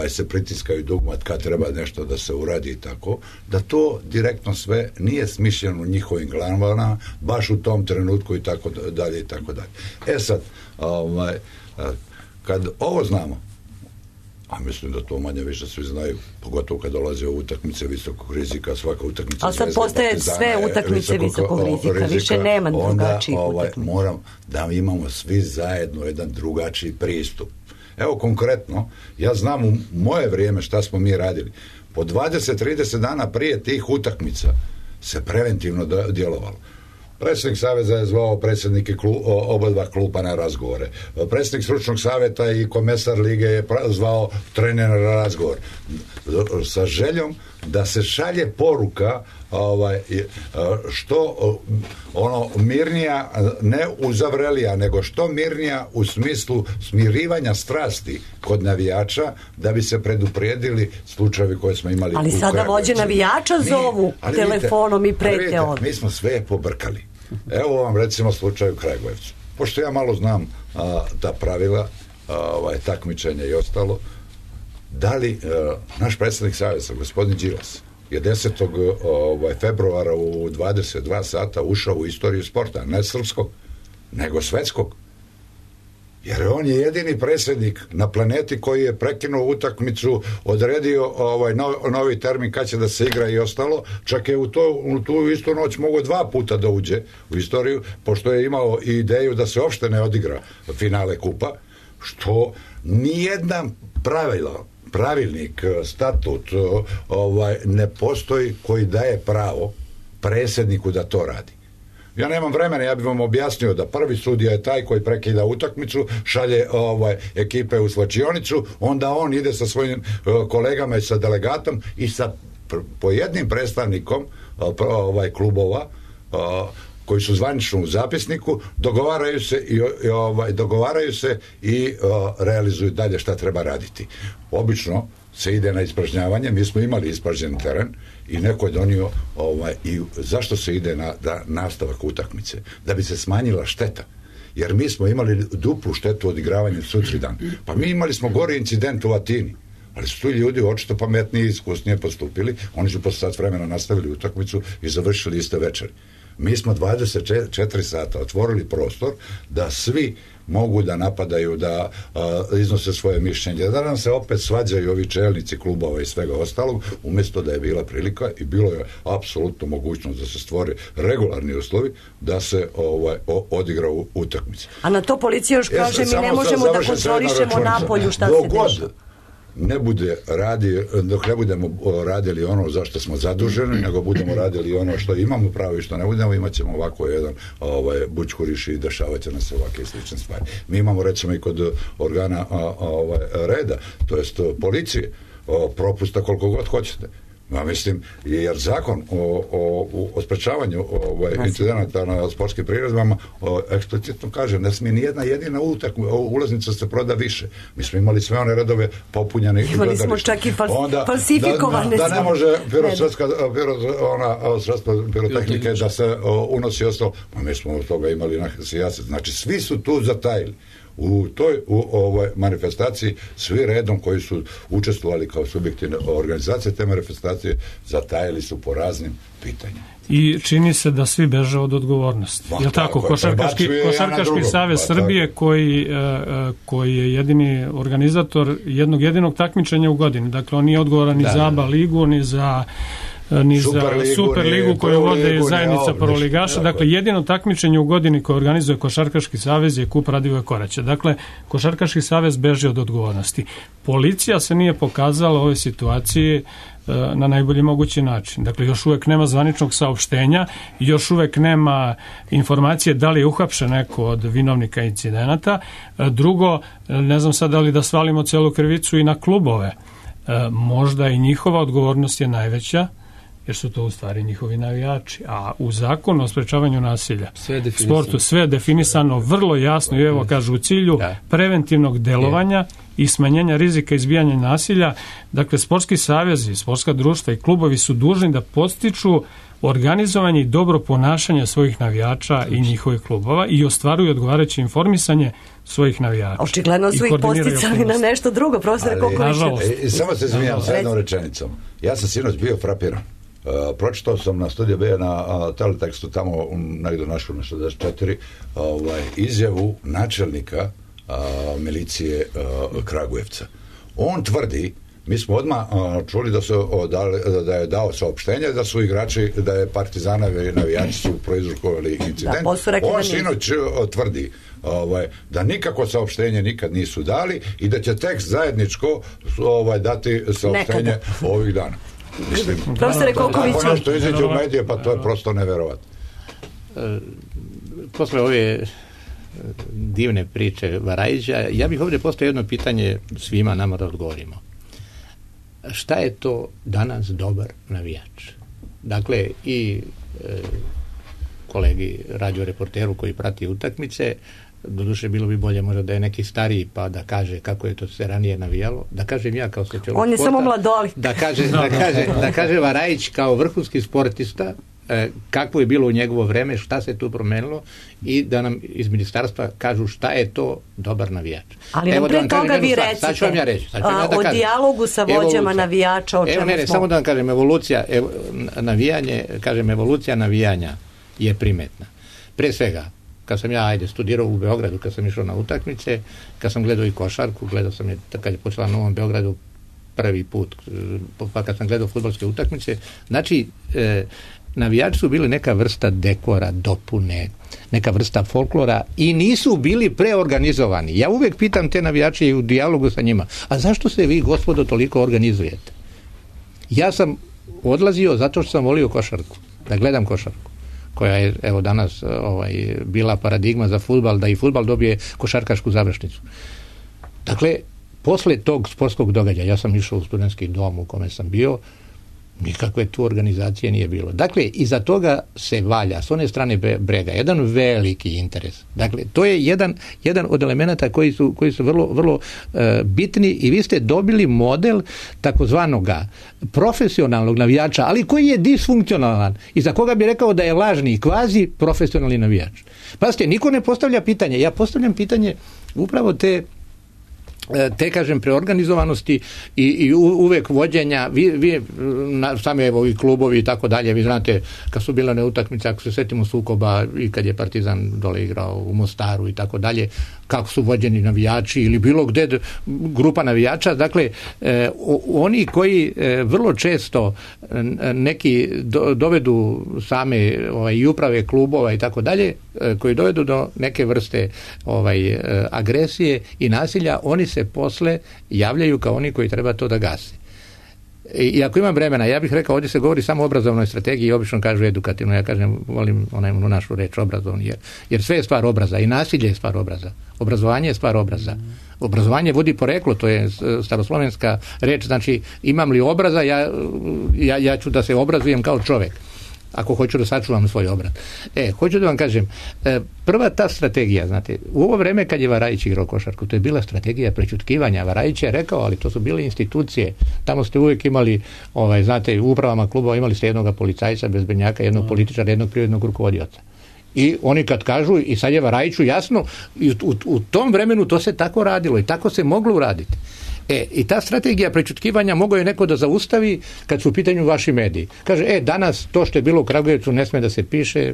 se pritiskaju dugmat kad treba nešto da se uradi i tako, da to direktno sve nije smišljeno u njihovim glavama, baš u tom trenutku i tako dalje i tako dalje. Sad, kad ovo znamo, a mislim da to manje više svi znaju, pogotovo kad dolaze u utakmice visokog rizika, svaka utakmica... Ali sad postoje sve utakmice visokog rizika, više nema drugačijih utakmica. Onda moram da imamo svi zajedno jedan drugačiji pristup. Evo konkretno, ja znam u moje vrijeme šta smo mi radili. Po 20-30 dana prije tih utakmica se preventivno djelovalo. Predsjednik saveza je zvao predsjednike oba dva kluba na razgovore. Predsjednik stručnog savjeta i komesar lige je zvao trenera na razgovor. Sa željom da se šalje poruka što mirnija, ne uzavrelija, nego što mirnija u smislu smirivanja strasti kod navijača, da bi se preduprijedili slučajevi koje smo imali. Ali sada vođe navijača zovu telefonom i prete od. Mi smo sve pobrkali. Evo vam recimo slučaj u Kragujevcu. Pošto ja malo znam ta pravila, takmičenja i ostalo, da li naš predsjednik saveza, gospodin Đilas, je 10. februara u 22 sata ušao u istoriju sporta, ne srpskog, nego svetskog. Jer on je jedini predsjednik na planeti koji je prekinuo utakmicu, odredio novi termin kad će da se igra i ostalo, čak je u tu istu noć mogao 2 puta da uđe u istoriju, pošto je imao i ideju da se uopšte ne odigra finale kupa, što nijedna pravilnik, statut ne postoji koji daje pravo predsjedniku da to radi. Ja nemam vremena, ja bih vam objasnio da prvi sudija je taj koji prekida utakmicu, šalje ekipe u slačionicu, onda on ide sa svojim kolegama i sa delegatom i sa pojednim predstavnikom klubova koji su zvanično u zapisniku, dogovaraju se i realizuju dalje šta treba raditi. Obično se ide na ispražnjavanje, mi smo imali ispražnjen teren i neko je donio i zašto se ide na nastavak utakmice? Da bi se smanjila šteta. Jer mi smo imali duplu štetu odigravanja sutradan. Pa mi imali smo gori incident u Atini. Ali su tu ljudi očito pametnije i iskusnije postupili. Oni su posle sat vremena nastavili utakmicu i završili iste večeri. Mi smo 24 sata otvorili prostor da svi mogu da napadaju, da iznose svoje mišljenje, da nam se opet svađaju ovi čelnici klubova i svega ostalog, umjesto da je bila prilika i bilo je apsolutno mogućnost da se stvore regularni uslovi da se odigra utakmica. A na to policija još kaže, mi ne možemo da kontrolišemo napolju šta se dešava. Ne bude dok ne budemo radili ono za što smo zaduženi, nego budemo radili ono što imamo pravo i što ne budemo, imat ćemo ovako jedan bućkuriš i dešavat će nam se ovakve slične stvari. Mi imamo recimo i kod organa reda, to jest policije, propusta koliko god hoćete. Ja mislim, jer zakon o sprečavanju incidenata na sportskim priredbama eksplicitno kaže, ne smije nijedna jedina ulaznica se proda više. Mi smo imali sve one redove popunjene. Imali smo čak i falsifikovane. Da ne može sredstva pirotehnike da se unosi ostalo. Mi smo od toga imali sijaset. Znači, svi su tu zatajili. U toj manifestaciji svi redom koji su učestvovali kao subjektivne organizacije te manifestacije zatajili su po raznim pitanjima. I čini se da svi beže od odgovornosti. Je tako? Košarkaški savez Srbije koji je jedini organizator jednog jedinog takmičenja u godini. Dakle, on nije odgovoran ni za ABA ligu, ni za Superligu koju vode zajednica prvoligaša. Dakle, jedino takmičenje u godini koje organizuje Košarkaški savez je Kup Radivoja Koraća. Dakle, Košarkaški savez beži od odgovornosti. Policija se nije pokazala u ovoj situaciji na najbolji mogući način. Dakle, još uvek nema zvaničnog saopštenja, još uvek nema informacije da li je uhapšen neko od vinovnika incidenata. Drugo, ne znam sad da li da svalimo celu krivicu i na klubove. Možda i njihova odgovornost je najveća, jer su to u stvari njihovi navijači. A u zakonu o sprečavanju nasilja sportu sve je definisano vrlo jasno i evo kažu u cilju preventivnog delovanja i smanjenja rizika izbijanja nasilja. Dakle, sportski savezi, sportska društva i klubovi su dužni da podstiču organizovanje i dobro ponašanje svojih navijača i njihovih klubova i ostvaruju odgovarajuće informisanje svojih navijača. Očigledno su ih posticali na nešto drugo, profesore Koković. Samo se izvinjam sa jednom rečenicom. Ja sam sinoć bio frapiran. Pročitao sam na Studiju B na teletekstu tamo negdje našao na 64 izjavu načelnika milicije Kragujevca. On tvrdi, mi smo odmah čuli da je dao saopštenje da su igrači, da je Partizanovi navijači su proizrokovali incident. On sinoć tvrdi da nikako saopštenje nikad nisu dali i da će tekst zajedničko dati saopštenje ovih dana. Mislim, profesore Kokoviću, ono što izađe u medije, pa to je prosto neverovatno. Posle ove divne priče Varajića, ja bih ovdje postavio jedno pitanje svima nama da odgovorimo. Šta je to danas dobar navijač? Dakle, i kolegi radioreporteru koji prati utakmice, doduše bilo bi bolje možda da je neki stariji pa da kaže kako je to se ranije navijalo, da kažem ja kao sociolog on je sporta, samo mladoli, da kaže Varajić kao vrhunski sportista kako je bilo u njegovo vreme, šta se tu promenilo i da nam iz ministarstva kažu šta je to dobar navijač. Ali nam pre toga vi recite o dijalogu sa vođama navijača, o čemu smo. Samo da vam kažem, evolucija navijanja je primetna. Pre svega, kad sam ja studirao u Beogradu, kad sam išao na utakmice, kad sam gledao i košarku, gledao sam je kad je počela na Novom Beogradu prvi put, pa kad sam gledao fudbalske utakmice, znači navijači su bili neka vrsta dekora, dopune, neka vrsta folklora i nisu bili preorganizovani. Ja uvijek pitam te navijače i u dijalogu sa njima, a zašto se vi, gospodo, toliko organizujete? Ja sam odlazio zato što sam volio košarku, da gledam košarku, koja je evo danas bila paradigma za fudbal, da i fudbal dobije košarkašku završnicu. Dakle, posle tog sportskog događaja, ja sam išao u studentski dom u kome sam bio, nikakve tu organizacije nije bilo. Dakle, iza toga se valja s one strane brega jedan veliki interes. Dakle, to je jedan od elemenata koji su vrlo, vrlo bitni i vi ste dobili model takozvanoga profesionalnog navijača, ali koji je disfunkcionalan i za koga bi rekao da je lažni i kvazi profesionalni navijač. Pazite, niko ne postavlja pitanje. Ja postavljam pitanje upravo te te, kažem, preorganizovanosti i uvek vođenja, vi sami evo i klubovi i tako dalje, vi znate kad su bile utakmice, ako se setimo sukoba i kad je Partizan dole igrao u Mostaru i tako dalje, kako su vođeni navijači ili bilo gde grupa navijača, dakle oni koji vrlo često neki dovedu same i uprave klubova i tako dalje, koji dovedu do neke vrste agresije i nasilja, oni se posle javljaju kao oni koji treba to da gase. I ako imam vremena, ja bih rekao, ovdje se govori samo o obrazovnoj strategiji i obično kažu edukativno, ja kažem, volim onu našu reč obrazovni, jer sve je stvar obraza i nasilje je stvar obraza. Obrazovanje je stvar obraza. Obrazovanje vodi poreklo, to je staroslovenska reč, znači imam li obraza, ja ću da se obrazujem kao čovek, ako hoću da sačuvam svoj obraz. Hoću da vam kažem, prva ta strategija, znate, u ovo vreme kad je Varajić igrao košarku, to je bila strategija prećutkivanja. Varajić je rekao, ali to su bile institucije. Tamo ste uvijek imali, znate, u upravama klubova imali ste jednog policajca, bezbenjaka, jednog političara, jednog privrednog rukovodioca. I oni kad kažu, i sad je Varajiću jasno, i u tom vremenu to se tako radilo i tako se moglo uraditi. I ta strategija prećutkivanja mogao je neko da zaustavi kad su u pitanju vaši mediji. Kaže, danas to što je bilo u Kragujevcu ne sme da se piše,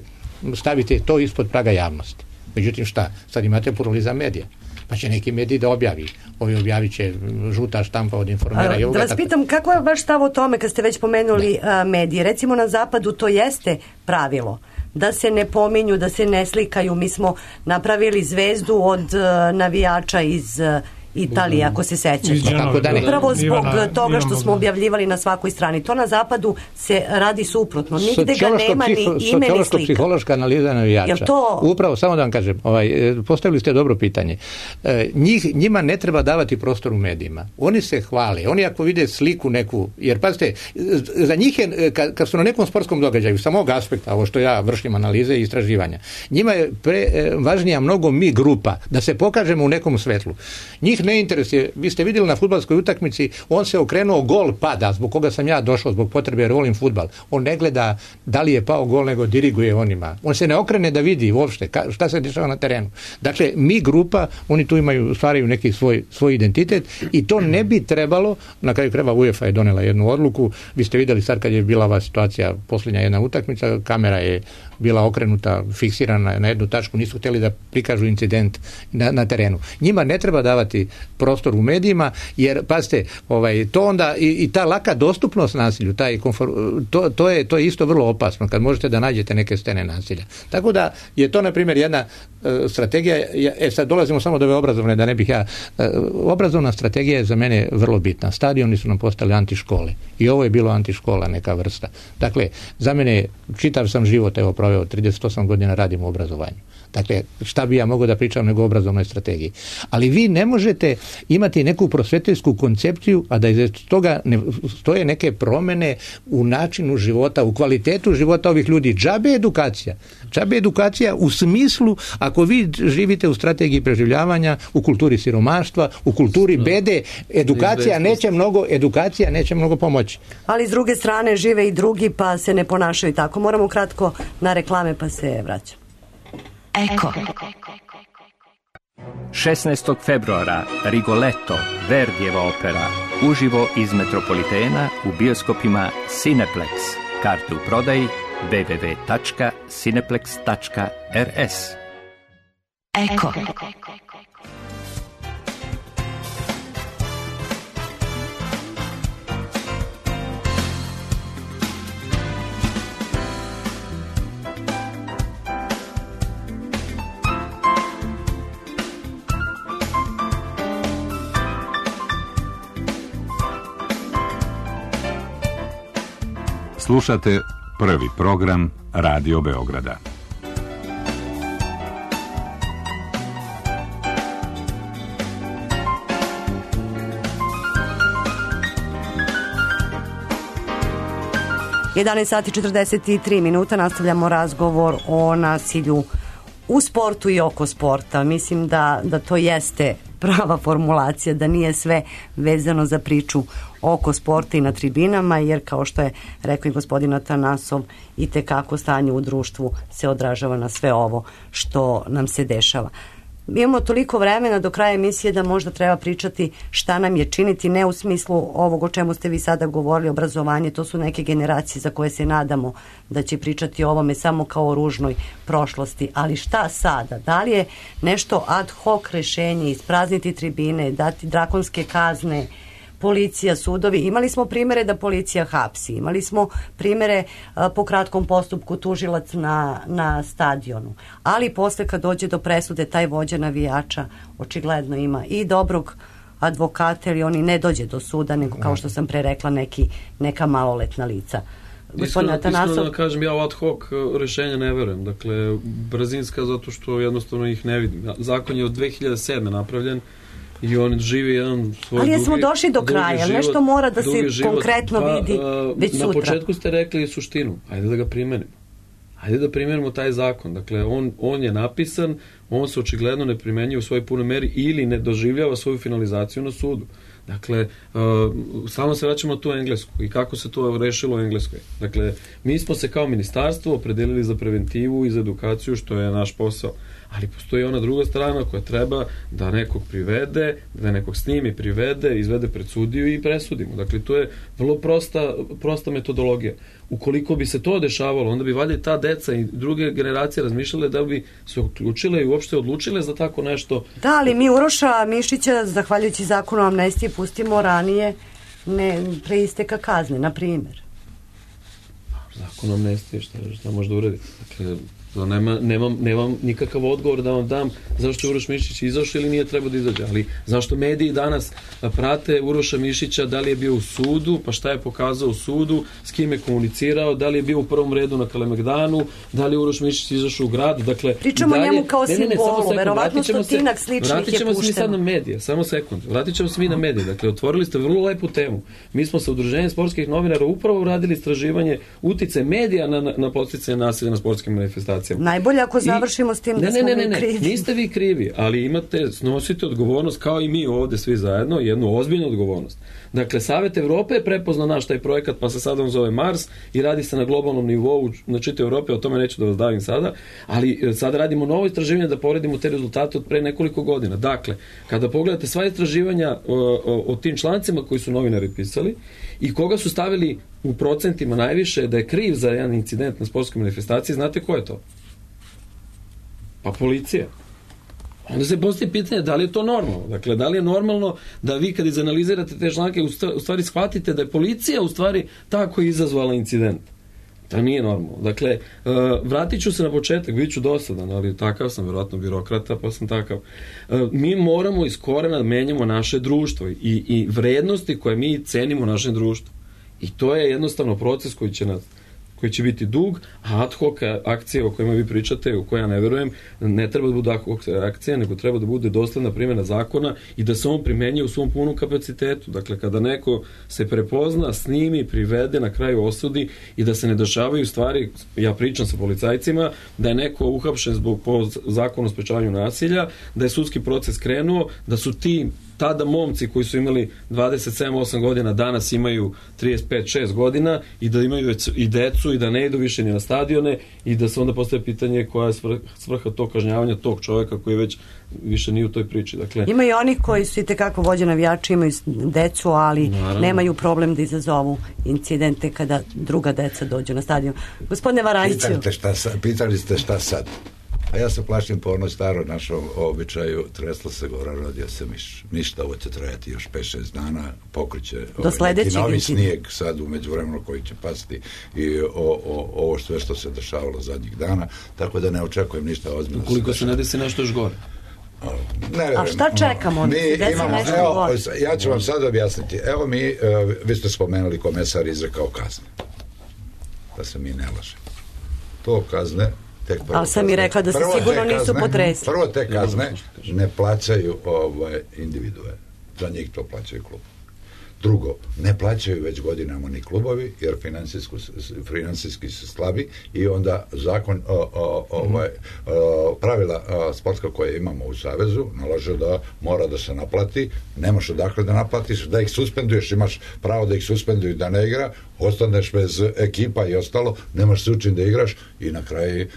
stavite to ispod praga javnosti. Međutim, šta? Sad imate pluralizam medija. Pa će neki mediji da objavi. Ovi objavit će žuta štampa od Informera i ovoga. Da vas pitam, kako je vaš stav o tome kad ste već pomenuli medije? Recimo na zapadu to jeste pravilo. Da se ne pominju, da se ne slikaju. Mi smo napravili zvezdu od navijača iz Italije, ako se sećate. Upravo zbog toga što smo objavljivali na svakoj strani. To na zapadu se radi suprotno. Nigde ga nema ni ime ni slika. Psihološka analiza navijača. Upravo, samo da vam kažem, postavili ste dobro pitanje. Njima ne treba davati prostor u medijima. Oni se hvale. Oni ako vide sliku neku, jer pazite, za njih je, kad su na nekom sportskom događaju, sa mog aspekta, ovo što ja vršim analize i istraživanja, njima je važnija mnogo mi grupa, da se pokažemo u nekom svetlu. Njih ne interesuje. Vi ste vidjeli na fudbalskoj utakmici, on se okrenuo, gol pada, zbog koga sam ja došao, zbog potrebe jer volim fudbal. On ne gleda da li je pao gol, nego diriguje onima. On se ne okrene da vidi uopšte šta se dešava na terenu. Dakle, mi grupa, oni tu stvaraju neki svoj identitet i to ne bi trebalo, na kraju krajeva UEFA je donela jednu odluku. Vi ste vidjeli sad kad je bila ova situacija, posljednja jedna utakmica, kamera je bila okrenuta, fiksirana na jednu tačku, nisu htjeli da prikažu incident na terenu. Njima ne treba davati prostor u medijima, jer pazite, to onda i ta laka dostupnost nasilju, to je isto vrlo opasno kad možete da nađete neke scene nasilja. Tako da je to, na primjer, jedna strategija, sad dolazimo samo do ove obrazovne, da ne bih obrazovna strategija je za mene vrlo bitna. Stadioni su nam postali antiškole i ovo je bilo antiškola neka vrsta. Dakle, za mene, čitav sam život proveo, 38 godina radim u obrazovanju. Dakle, šta bi ja mogao da pričam nego o obrazovnoj strategiji. Ali vi ne možete imati neku prosvetiteljsku koncepciju, a da iz toga ne stoje neke promene u načinu života, u kvalitetu života ovih ljudi. Džabe edukacija u smislu, ako vi živite u strategiji preživljavanja, u kulturi siromaštva, u kulturi bede, edukacija neće mnogo pomoći. Ali s druge strane žive i drugi, pa se ne ponašaju tako. Moramo kratko na reklame, pa se vraćamo. Eko. 16. februara Rigoletto, Verdijeva opera, uživo iz Metropolitena u bioskopima Cineplex. Karte u prodaji www.cineplex.rs. Eko. Slušate prvi program Radio Beograda. Sati 43 minuta, nastavljamo razgovor o nasilju u sportu i oko sporta. Mislim da to jeste prava formulacija, da nije sve vezano za priču oko sporta i na tribinama, jer kao što je rekao i gospodin Atanasov, i tekako stanje u društvu se odražava na sve ovo što nam se dešava. imamo toliko vremena do kraja emisije da možda treba pričati šta nam je činiti, ne u smislu ovog o čemu ste vi sada govorili, obrazovanje, to su neke generacije za koje se nadamo da će pričati o ovome samo kao o ružnoj prošlosti, ali šta sada? Da li je nešto ad hoc rešenje, isprazniti tribine, dati drakonske kazne, policija, sudovi? Imali smo primere da policija hapsi, imali smo primere po kratkom postupku tužilac na stadionu, ali posle kad dođe do presude taj vođa navijača očigledno ima i dobrog advokata ili oni ne dođe do suda, nego kao što sam pre rekla neka maloletna lica. Iskreno da kažem, ja u ad hoc rešenja ne verujem, dakle brzinska zato što jednostavno ih ne vidim. Zakon je od 2007. napravljen i on živi jedan svoj ali smo došli do kraja, nešto mora da se konkretno vidi već sutra. Na početku ste rekli suštinu, ajde da ga primenimo. Ajde da primenimo taj zakon. Dakle, on je napisan, on se očigledno ne primenjuje u svojoj punoj meri ili ne doživljava svoju finalizaciju na sudu. Dakle, samo se vraćamo na tu Englesku i kako se to rešilo u Engleskoj. Dakle, mi smo se kao ministarstvo opredelili za preventivu i za edukaciju, što je naš posao. Ali postoji ona druga strana koja treba da nekog privede, da nekog snimi, privede, izvede pred sudiju i presudimo. Dakle, to je vrlo prosta metodologija. Ukoliko bi se to dešavalo, onda bi valjda ta deca i druge generacije razmišljale da bi se uključile i uopšte odlučile za tako nešto. Da, ali mi Uroša Mišića, zahvaljujući zakonu o amnestiji, pustimo ranije pre isteka kazne, na primjer. Zakon o amnestiji, šta može da uraditi? Dakle, nemam nikakav odgovor da vam dam zašto je Uroš Mišić izašao ili nije trebao da izađe, ali zašto mediji danas prate Uroša Mišića, da li je bio u sudu, pa šta je pokazao u sudu, s kim je komunicirao, da li je bio u prvom redu na Kalemegdanu, da li je Uroš Mišić izašao u grad, dakle pričamo o njemu kao simbolu, verovatno stotinak sličnih je pušteno. Vratit ćemo se mi sad na medije, samo sekund, vratit ćemo se mi na medije, dakle otvorili ste vrlo lepu temu. Mi smo sa Udruženjem sportskih novinara upravo uradili istraživanje uticaja medija na podsticanje nasilja na sportskim manifestacijama. Najbolje ako završimo s tim da smo mi krivi. Niste vi krivi, ali snosite odgovornost kao i mi ovde svi zajedno, jednu ozbiljnu odgovornost. Dakle, Savet Evrope je prepoznao naš taj projekat, pa se sada on zove Mars i radi se na globalnom nivou na čitavoj Evropi, o tome neću da vas davim sada, ali sada radimo novo istraživanje da poredimo te rezultate od pre nekoliko godina. Dakle, kada pogledate sva istraživanja o tim člancima koji su novinari pisali i koga su stavili u procentima najviše da je kriv za jedan incident na sportskoj manifestaciji, znate ko je to? Pa policija. Onda se postoji pitanje da li je to normalno. Dakle, da li je normalno da vi kad izanalizirate te članke u stvari shvatite da je policija u stvari ta koja je izazvala incident. To nije normalno. Dakle, vratit ću se na početak, bit ću dosadan, ali takav sam, vjerojatno birokrata, pa sam takav. Mi moramo iz korena da menjamo naše društvo i vrednosti koje mi cenimo u našem društvu. I to je jednostavno proces koji će biti dug, a ad hoc akcije o kojima vi pričate, u koje ja ne verujem, ne treba da bude ad hoc akcija, nego treba da bude dosledna primjena zakona i da se on primenjuje u svom punom kapacitetu. Dakle, kada neko se prepozna, snimi, privede, na kraju osudi i da se ne dešavaju stvari, ja pričam sa policajcima, da je neko uhapšen po zakonu o sprečavanju nasilja, da je sudski proces krenuo, da su ti tada momci koji su imali 27-8 godina danas imaju 35-6 godina i da imaju i decu i da ne idu više ni na stadione i da se onda postaje pitanje koja je svrha tog kažnjavanja tog čoveka koji već više nije u toj priči. Dakle, ima i oni koji su i tekako vođe navijači, imaju decu, ali nemaju problem da izazovu incidente kada druga deca dođu na stadion. Gospodine Varanjiću. Pitali ste šta sad? A ja se plašim po onoj staroj našom običaju, tresla se gora, rodio se miš. Ništa, ovo će trajati još 5-6 dana, pokriće neki novi snijeg sad u međuvremenu koji će pasti i ovo sve što se dešavalo zadnjih dana, tako da ne očekujem ništa ozbiljno. Ukoliko se ne desi nešto još gore. A šta čekamo? Ja ću vam sad objasniti. Evo vi ste spomenuli komesar izrekao kazne. Da se mi ne lažemo. To kazne ali sam mi rekla da se sigurno nisu potresli. Prvo te kazne ne plaćaju individue. Za njih to plaćaju klub. Drugo, ne plaćaju već godinama ni klubovi, jer finansijski su slabi i onda zakon pravila sportska koje imamo u Savezu nalaže da mora da se naplati, nemaš odakle da naplatiš, da ih suspenduješ, imaš pravo da ih suspenduju da ne igra, ostaneš bez ekipa i ostalo, nemaš se učin da igraš i na kraju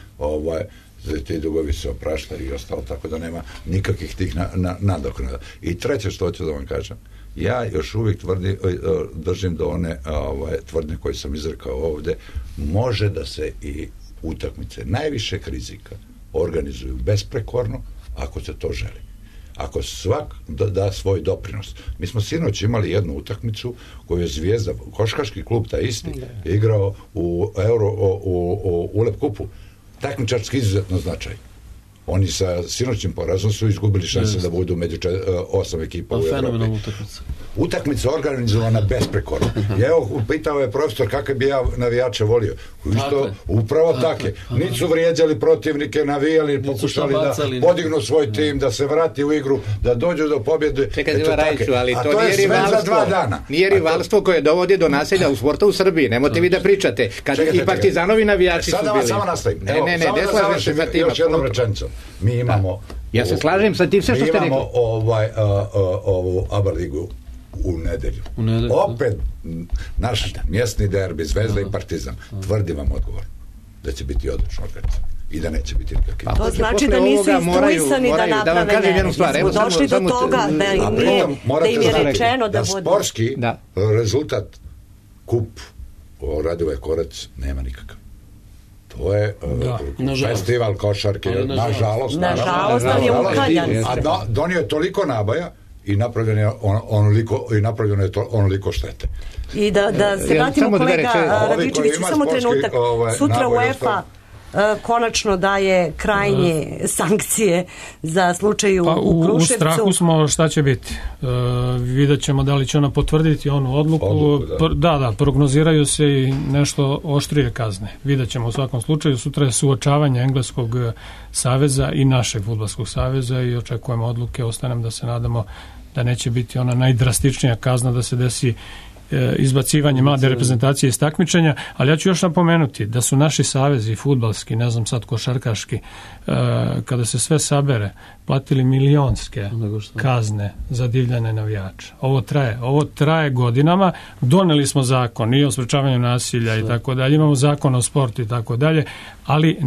ti dugovi se opraštaju i ostalo, tako da nema nikakvih tih nadoknada. I treće što hoću da vam kažem, ja još uvijek držim do one tvrdnje koje sam izrekao ovde, može da se i utakmice najvišeg rizika organizuju besprekorno ako se to želi. Ako svak da svoj doprinos. Mi smo sinoć imali jednu utakmicu koju je Zvijezda, košarkaški klub taj isti, igrao u ULEP kupu. Takmičarski izuzetno značaj. Oni sa sinoćnim porazom su izgubili šanse da budu među 8 ekipa u Evropi. Utakmica organizovana besprekorno. Evo, pitao je profesor kakve bi ja navijače volio. Upravo take. Nisu vrijeđali protivnike, navijali, pokušali da podignu svoj tim, da se vrati u igru, da dođu do pobjede. Čekaj, ali to nije rivalstvo. Nije rivalstvo koje dovodi do nasilja u sportu u Srbiji. Nemojte vi da pričate. Kada i Partizanovi navijači su bili. Sada vas samo nastavim. Ne slažem se sa tim. Još jednom rečenicom. Mi imamo... Ja se slažem sa tim sve što ste rekli. Mi imamo ovu ABA ligu u nedelju. Opet naš mjesni derbi, Zvezda i Partizan. Tvrdim vam odgovor da će biti odlično organizam i da neće biti nikakvi. To znači da nisu instruisani da naprave nered. Smo došli do toga da im je rečeno da budu... Sportski rezultat kup Radivoje Korać nema nikakav. To je festival košarke, nažalost, ali je ukaljan. A donio je toliko nabaja i napravljeno je onoliko štete. I da se vratimo kolega Radičeviću, samo trenutak. Sutra UEFA konačno daje krajnje sankcije za slučaj u Kruševcu. U strahu smo šta će biti. Vidjet ćemo da li će ona potvrditi onu odluku. Da, prognoziraju se i nešto oštrije kazne. Vidjet ćemo u svakom slučaju. Sutra je suočavanje Engleskog saveza i našeg fudbalskog saveza i očekujemo odluke. Ostanem da se nadamo da neće biti ona najdrastičnija kazna da se desi izbacivanje mlade reprezentacije iz takmičenja, ali ja ću još napomenuti da su naši savezi fudbalski, ne znam sad košarkaški, kada se sve sabere, platili milionske kazne za divljane navijače. Ovo traje godinama. Doneli smo zakon i o sprečavanju nasilja i tako dalje, imamo zakon o sportu i tako dalje, ali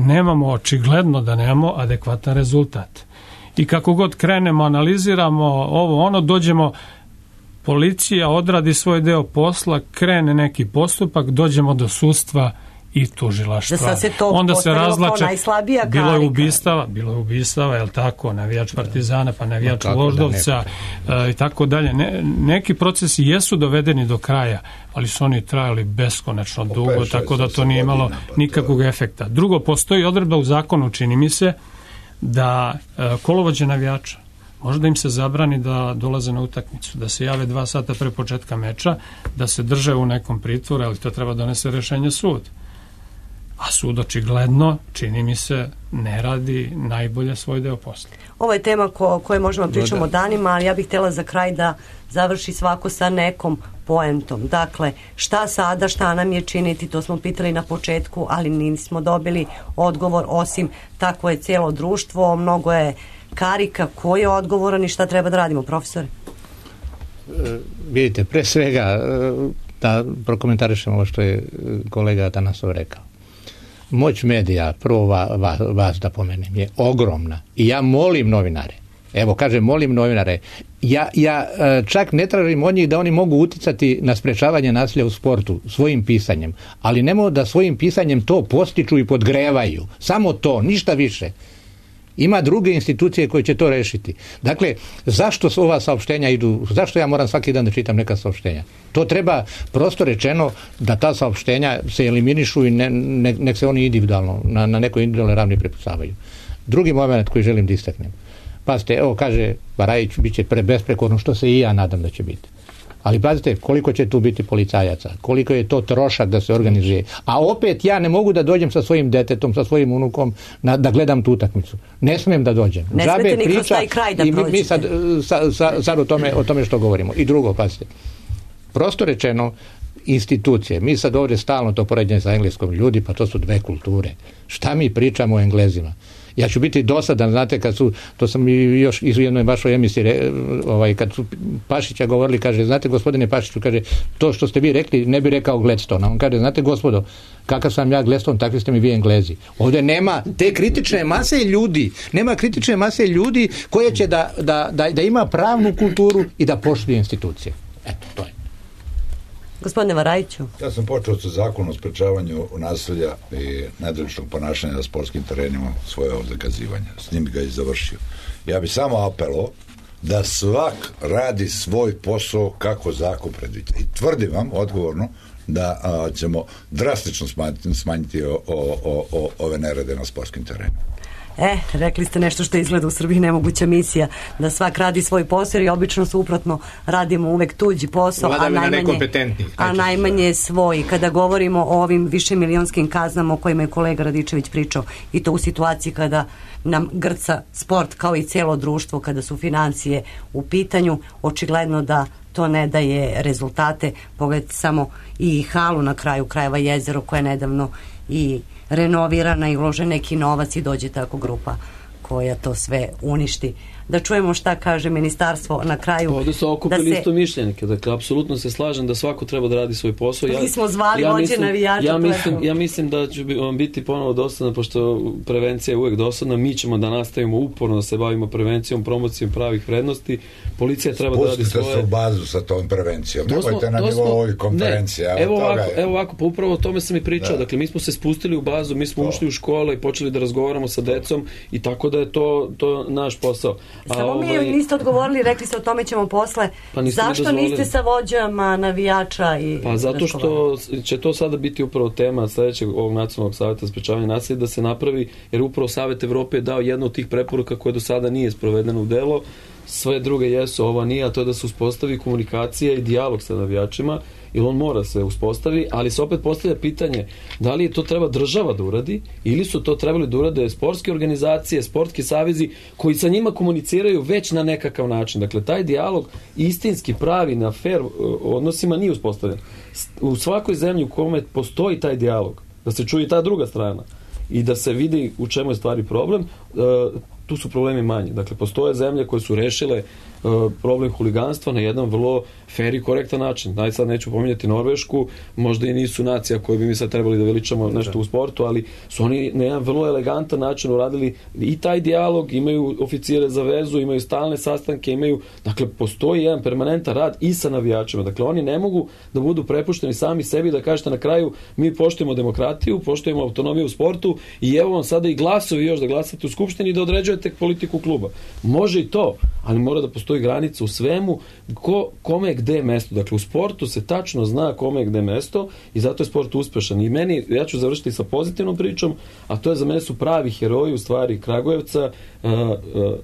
očigledno da nemamo adekvatan rezultat. I kako god krenemo, analiziramo ovo, dođemo, policija odradi svoj deo posla, krene neki postupak, dođemo do sudstva i tužilaštva. Onda se razlače, bilo je ubistava, jel tako, navijač Partizana, pa navijač Voždovca i tako dalje. Neki procesi jesu dovedeni do kraja, ali su oni trajali beskonačno dugo, tako da to nije imalo nikakvog efekta. Drugo, postoji odredba u zakonu, čini mi se, da kolovođe navijača možda im se zabrani da dolaze na utakmicu, da se jave 2 sata pre početka meča, da se drže u nekom pritvoru, ali to treba donese rešenje sud. A sud očigledno, čini mi se, ne radi najbolje svoj deo posla. Ovo je tema koje možemo pričamo danima, ali ja bih htjela za kraj da završi svako sa nekom poentom. Dakle, šta sada, šta nam je činiti, to smo pitali na početku, ali nismo dobili odgovor, osim takvo je cijelo društvo, mnogo je karika, ko je odgovoran i šta treba da radimo, profesore? Vidite, pre svega da prokomentarišemo ovo što je kolega Atanasov rekao. Moć medija, prvo vas da pomenem, je ogromna. I ja molim novinare, molim novinare, ja čak ne tražim od njih da oni mogu uticati na sprečavanje nasilja u sportu svojim pisanjem, ali nemoj da svojim pisanjem to postiču i podgrevaju. Samo to, ništa više. Ima druge institucije koje će to rešiti. Dakle, zašto ova saopštenja idu, zašto ja moram svaki dan da čitam neka saopštenja? To treba prosto rečeno da ta saopštenja se eliminišu i nek se oni individualno, na nekoj individualnoj ravni prepucavaju. Drugi moment koji želim da istaknem. Pazite, evo kaže Barajić, bit će besprekorno, što se i ja nadam da će biti. Ali pazite, koliko će tu biti policajaca, koliko je to trošak da se organizuje. A opet ja ne mogu da dođem sa svojim detetom, sa svojim unukom da gledam tu utakmicu. Ne smijem da dođem. Ne smete ni kroz taj kraj da prođete. Mi sad o tome što govorimo. I drugo, pazite, prosto rečeno, institucije, mi sad ovdje stalno to poređenje sa engleskom, ljudi, pa to su 2 kulture. Šta mi pričamo o Englezima? Ja ću biti dosadan, znate, to sam i još iz jednoj vašoj emisiji, kad su Pašića govorili, kaže, znate, gospodine Pašiću, kaže, to što ste vi rekli, ne bi rekao Gladstone. On kaže, znate, gospodo, kakav sam ja Gladstone, takvi ste mi vi Englezi. Ovdje nema te kritične mase ljudi koje će da ima pravnu kulturu i da poštuje institucije. Eto, to je. Gospodine Varajiću. Ja sam počeo sa zakonom o sprečavanju nasilja i nedoličnog ponašanja na sportskim terenima svoje zakazivanje. S njim ga i završio. Ja bih samo apelao da svak radi svoj posao kako zakon predviđa. I tvrdim vam odgovorno da ćemo drastično smanjiti ove nerede na sportskim terenima. Rekli ste nešto što izgleda u Srbiji nemoguća misija, da svak radi svoj posao i obično suprotno radimo uvek tuđi posao, a najmanje svoj. Kada govorimo o ovim višemilionskim kaznama o kojima je kolega Radičević pričao, i to u situaciji kada nam grca sport kao i cijelo društvo, kada su financije u pitanju, očigledno da to ne daje rezultate. Pogledajte samo i halu na kraju krajeva, Jezero, koja je nedavno i renovirana i ulože neki novac i dođe tako grupa koja to sve uništi. Da čujemo šta kaže ministarstvo na kraju. Ovdje su okupili isto mišljenike, dakle, apsolutno se slažem da svako treba da radi svoj posao. Mi smo zvali vođe navijača. Ja mislim da će vam biti ponovo dosadno, pošto prevencija je uvek dosadna, mi ćemo da nastavimo uporno da se bavimo prevencijom, promocijom pravih vrednosti. Policija treba da radi svoje. Pustite se u bazu sa tom prevencijom. Nemojte na nivou ovih konferencija. Evo ovako, pa upravo o tome sam i pričao. Dakle, mi smo se spustili u bazu, mi smo ušli u škole i počeli da razgovaramo sa decom i tako da je to naš posao. Samo mi niste odgovorili, rekli ste o tome ćemo posle. Zašto niste sa vođama navijača? Pa zato što će to sada biti upravo tema sljedećeg ovog Nacionalnog savjeta za sprečavanje nasilja, da se napravi, jer upravo Savet Evrope je dao jednu od tih preporuka koje do sada nije sprovedeno u delo. Sve druge jesu, ova nije, a to je da se uspostavi komunikacija i dijalog sa navijačima, jer on mora se uspostavi, ali se opet postavlja pitanje da li to treba država da uradi ili su to trebali da urade sportske organizacije, sportski savezi koji sa njima komuniciraju već na nekakav način. Dakle, taj dijalog istinski pravi na fair odnosima nije uspostavljen. U svakoj zemlji u kome postoji taj dijalog, da se čuje ta druga strana i da se vidi u čemu je stvari problem, tu su problemi manji. Dakle, postoje zemlje koje su rešile problem huliganstva na jedan vrlo fair i korektan način. Sad neću pominjati Norvešku, možda i nisu nacija koju bi mi sad trebali da veličamo nešto u sportu, ali su oni na jedan vrlo elegantan način uradili i taj dijalog, imaju oficire za vezu, imaju stalne sastanke, dakle, postoji jedan permanentan rad i sa navijačima. Dakle, oni ne mogu da budu prepušteni sami sebi da kažete na kraju mi poštujemo demokratiju, poštujemo autonomiju u sportu i evo vam sada i glasovi još da glasate u skupštini i da određujete politiku kluba. Može i to, ali mora da postoji granica u svemu, kome je gde mesto. Dakle, u sportu se tačno zna kome je gde mesto i zato je sport uspešan. I meni, ja ću završiti sa pozitivnom pričom, a to je za mene su pravi heroji u stvari Kragujevca,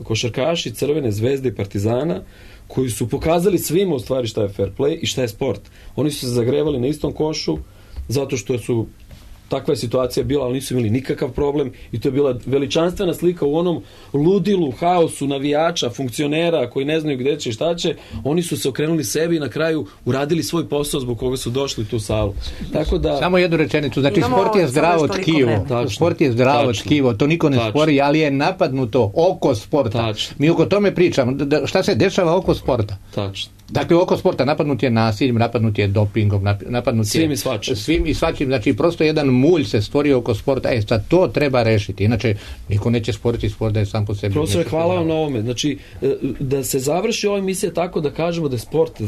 košarkaši Crvene zvezde i Partizana, koji su pokazali svima u stvari šta je fair play i šta je sport. Oni su se zagrevali na istom košu zato što su takva je situacija bila, ali nisu imali nikakav problem i to je bila veličanstvena slika u onom ludilu, haosu navijača, funkcionera koji ne znaju gde će i šta će. Oni su se okrenuli sebi i na kraju uradili svoj posao zbog koga su došli u tu salu. Tako da... Samo jednu rečenicu, znači sport je zdravo tkivo. Sport je zdravo tkivo, to niko ne spori, ali je napadnuto oko sporta. Mi oko tome pričamo. Šta se dešava oko sporta? Tačno. Dakle, oko sporta napadnut je nasiljem, napadnut je dopingom, napadnut je svim i svačim. Znači, prosto jedan mulj se stvorio oko sporta. Sad to treba rešiti. Inače, niko neće sporiti sport da je sam po sebi. Profesor, hvala vam na ovome. Znači, da se završi ova emisija tako da kažemo da je sport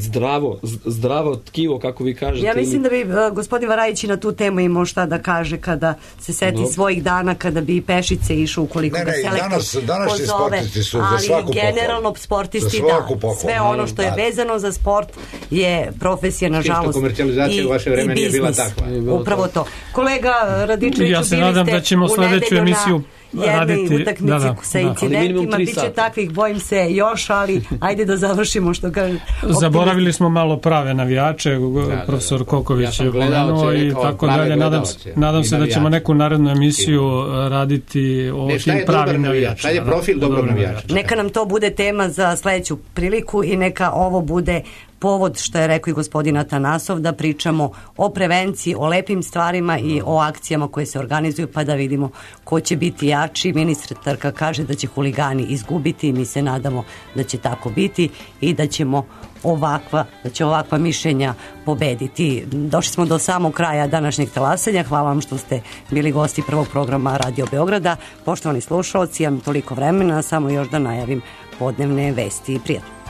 zdravo tkivo, kako vi kažete. Ja mislim da bi gospodin Varajić na tu temu imao šta da kaže kada se seti svojih dana, kada bi Pešice išao ukoliko ga selektor pozove. Ali generalno sportisti da. Sve ono što je vezano za sport je profesija, nažalost, komercijalizacija u vaše vreme nije bila takva. Upravo to. Kolega Radičeviću, ja se nadam da ćemo sledeću emisiju jednoj utakmici sa incidentima, bit će takvih, bojim se još, ali ajde da završimo što kaže. Zaboravili smo malo prave navijače, profesor Koković je pomenuo i tako dalje. Nadam se da ćemo neku narednu emisiju raditi o tim pravim navijačima. Šta je profil dobrog navijača? Neka nam to bude tema za sledeću priliku i neka ovo bude povod, što je rekao i gospodin Atanasov, da pričamo o prevenciji, o lepim stvarima i o akcijama koje se organizuju, pa da vidimo ko će biti jači. Ministarka kaže da će huligani izgubiti i mi se nadamo da će tako biti i da će ovakva mišljenja pobediti. Došli smo do samog kraja današnjeg talasanja. Hvala vam što ste bili gosti prvog programa Radio Beograda. Poštovani slušalci, imam toliko vremena, samo još da najavim podnevne vesti i prijatno.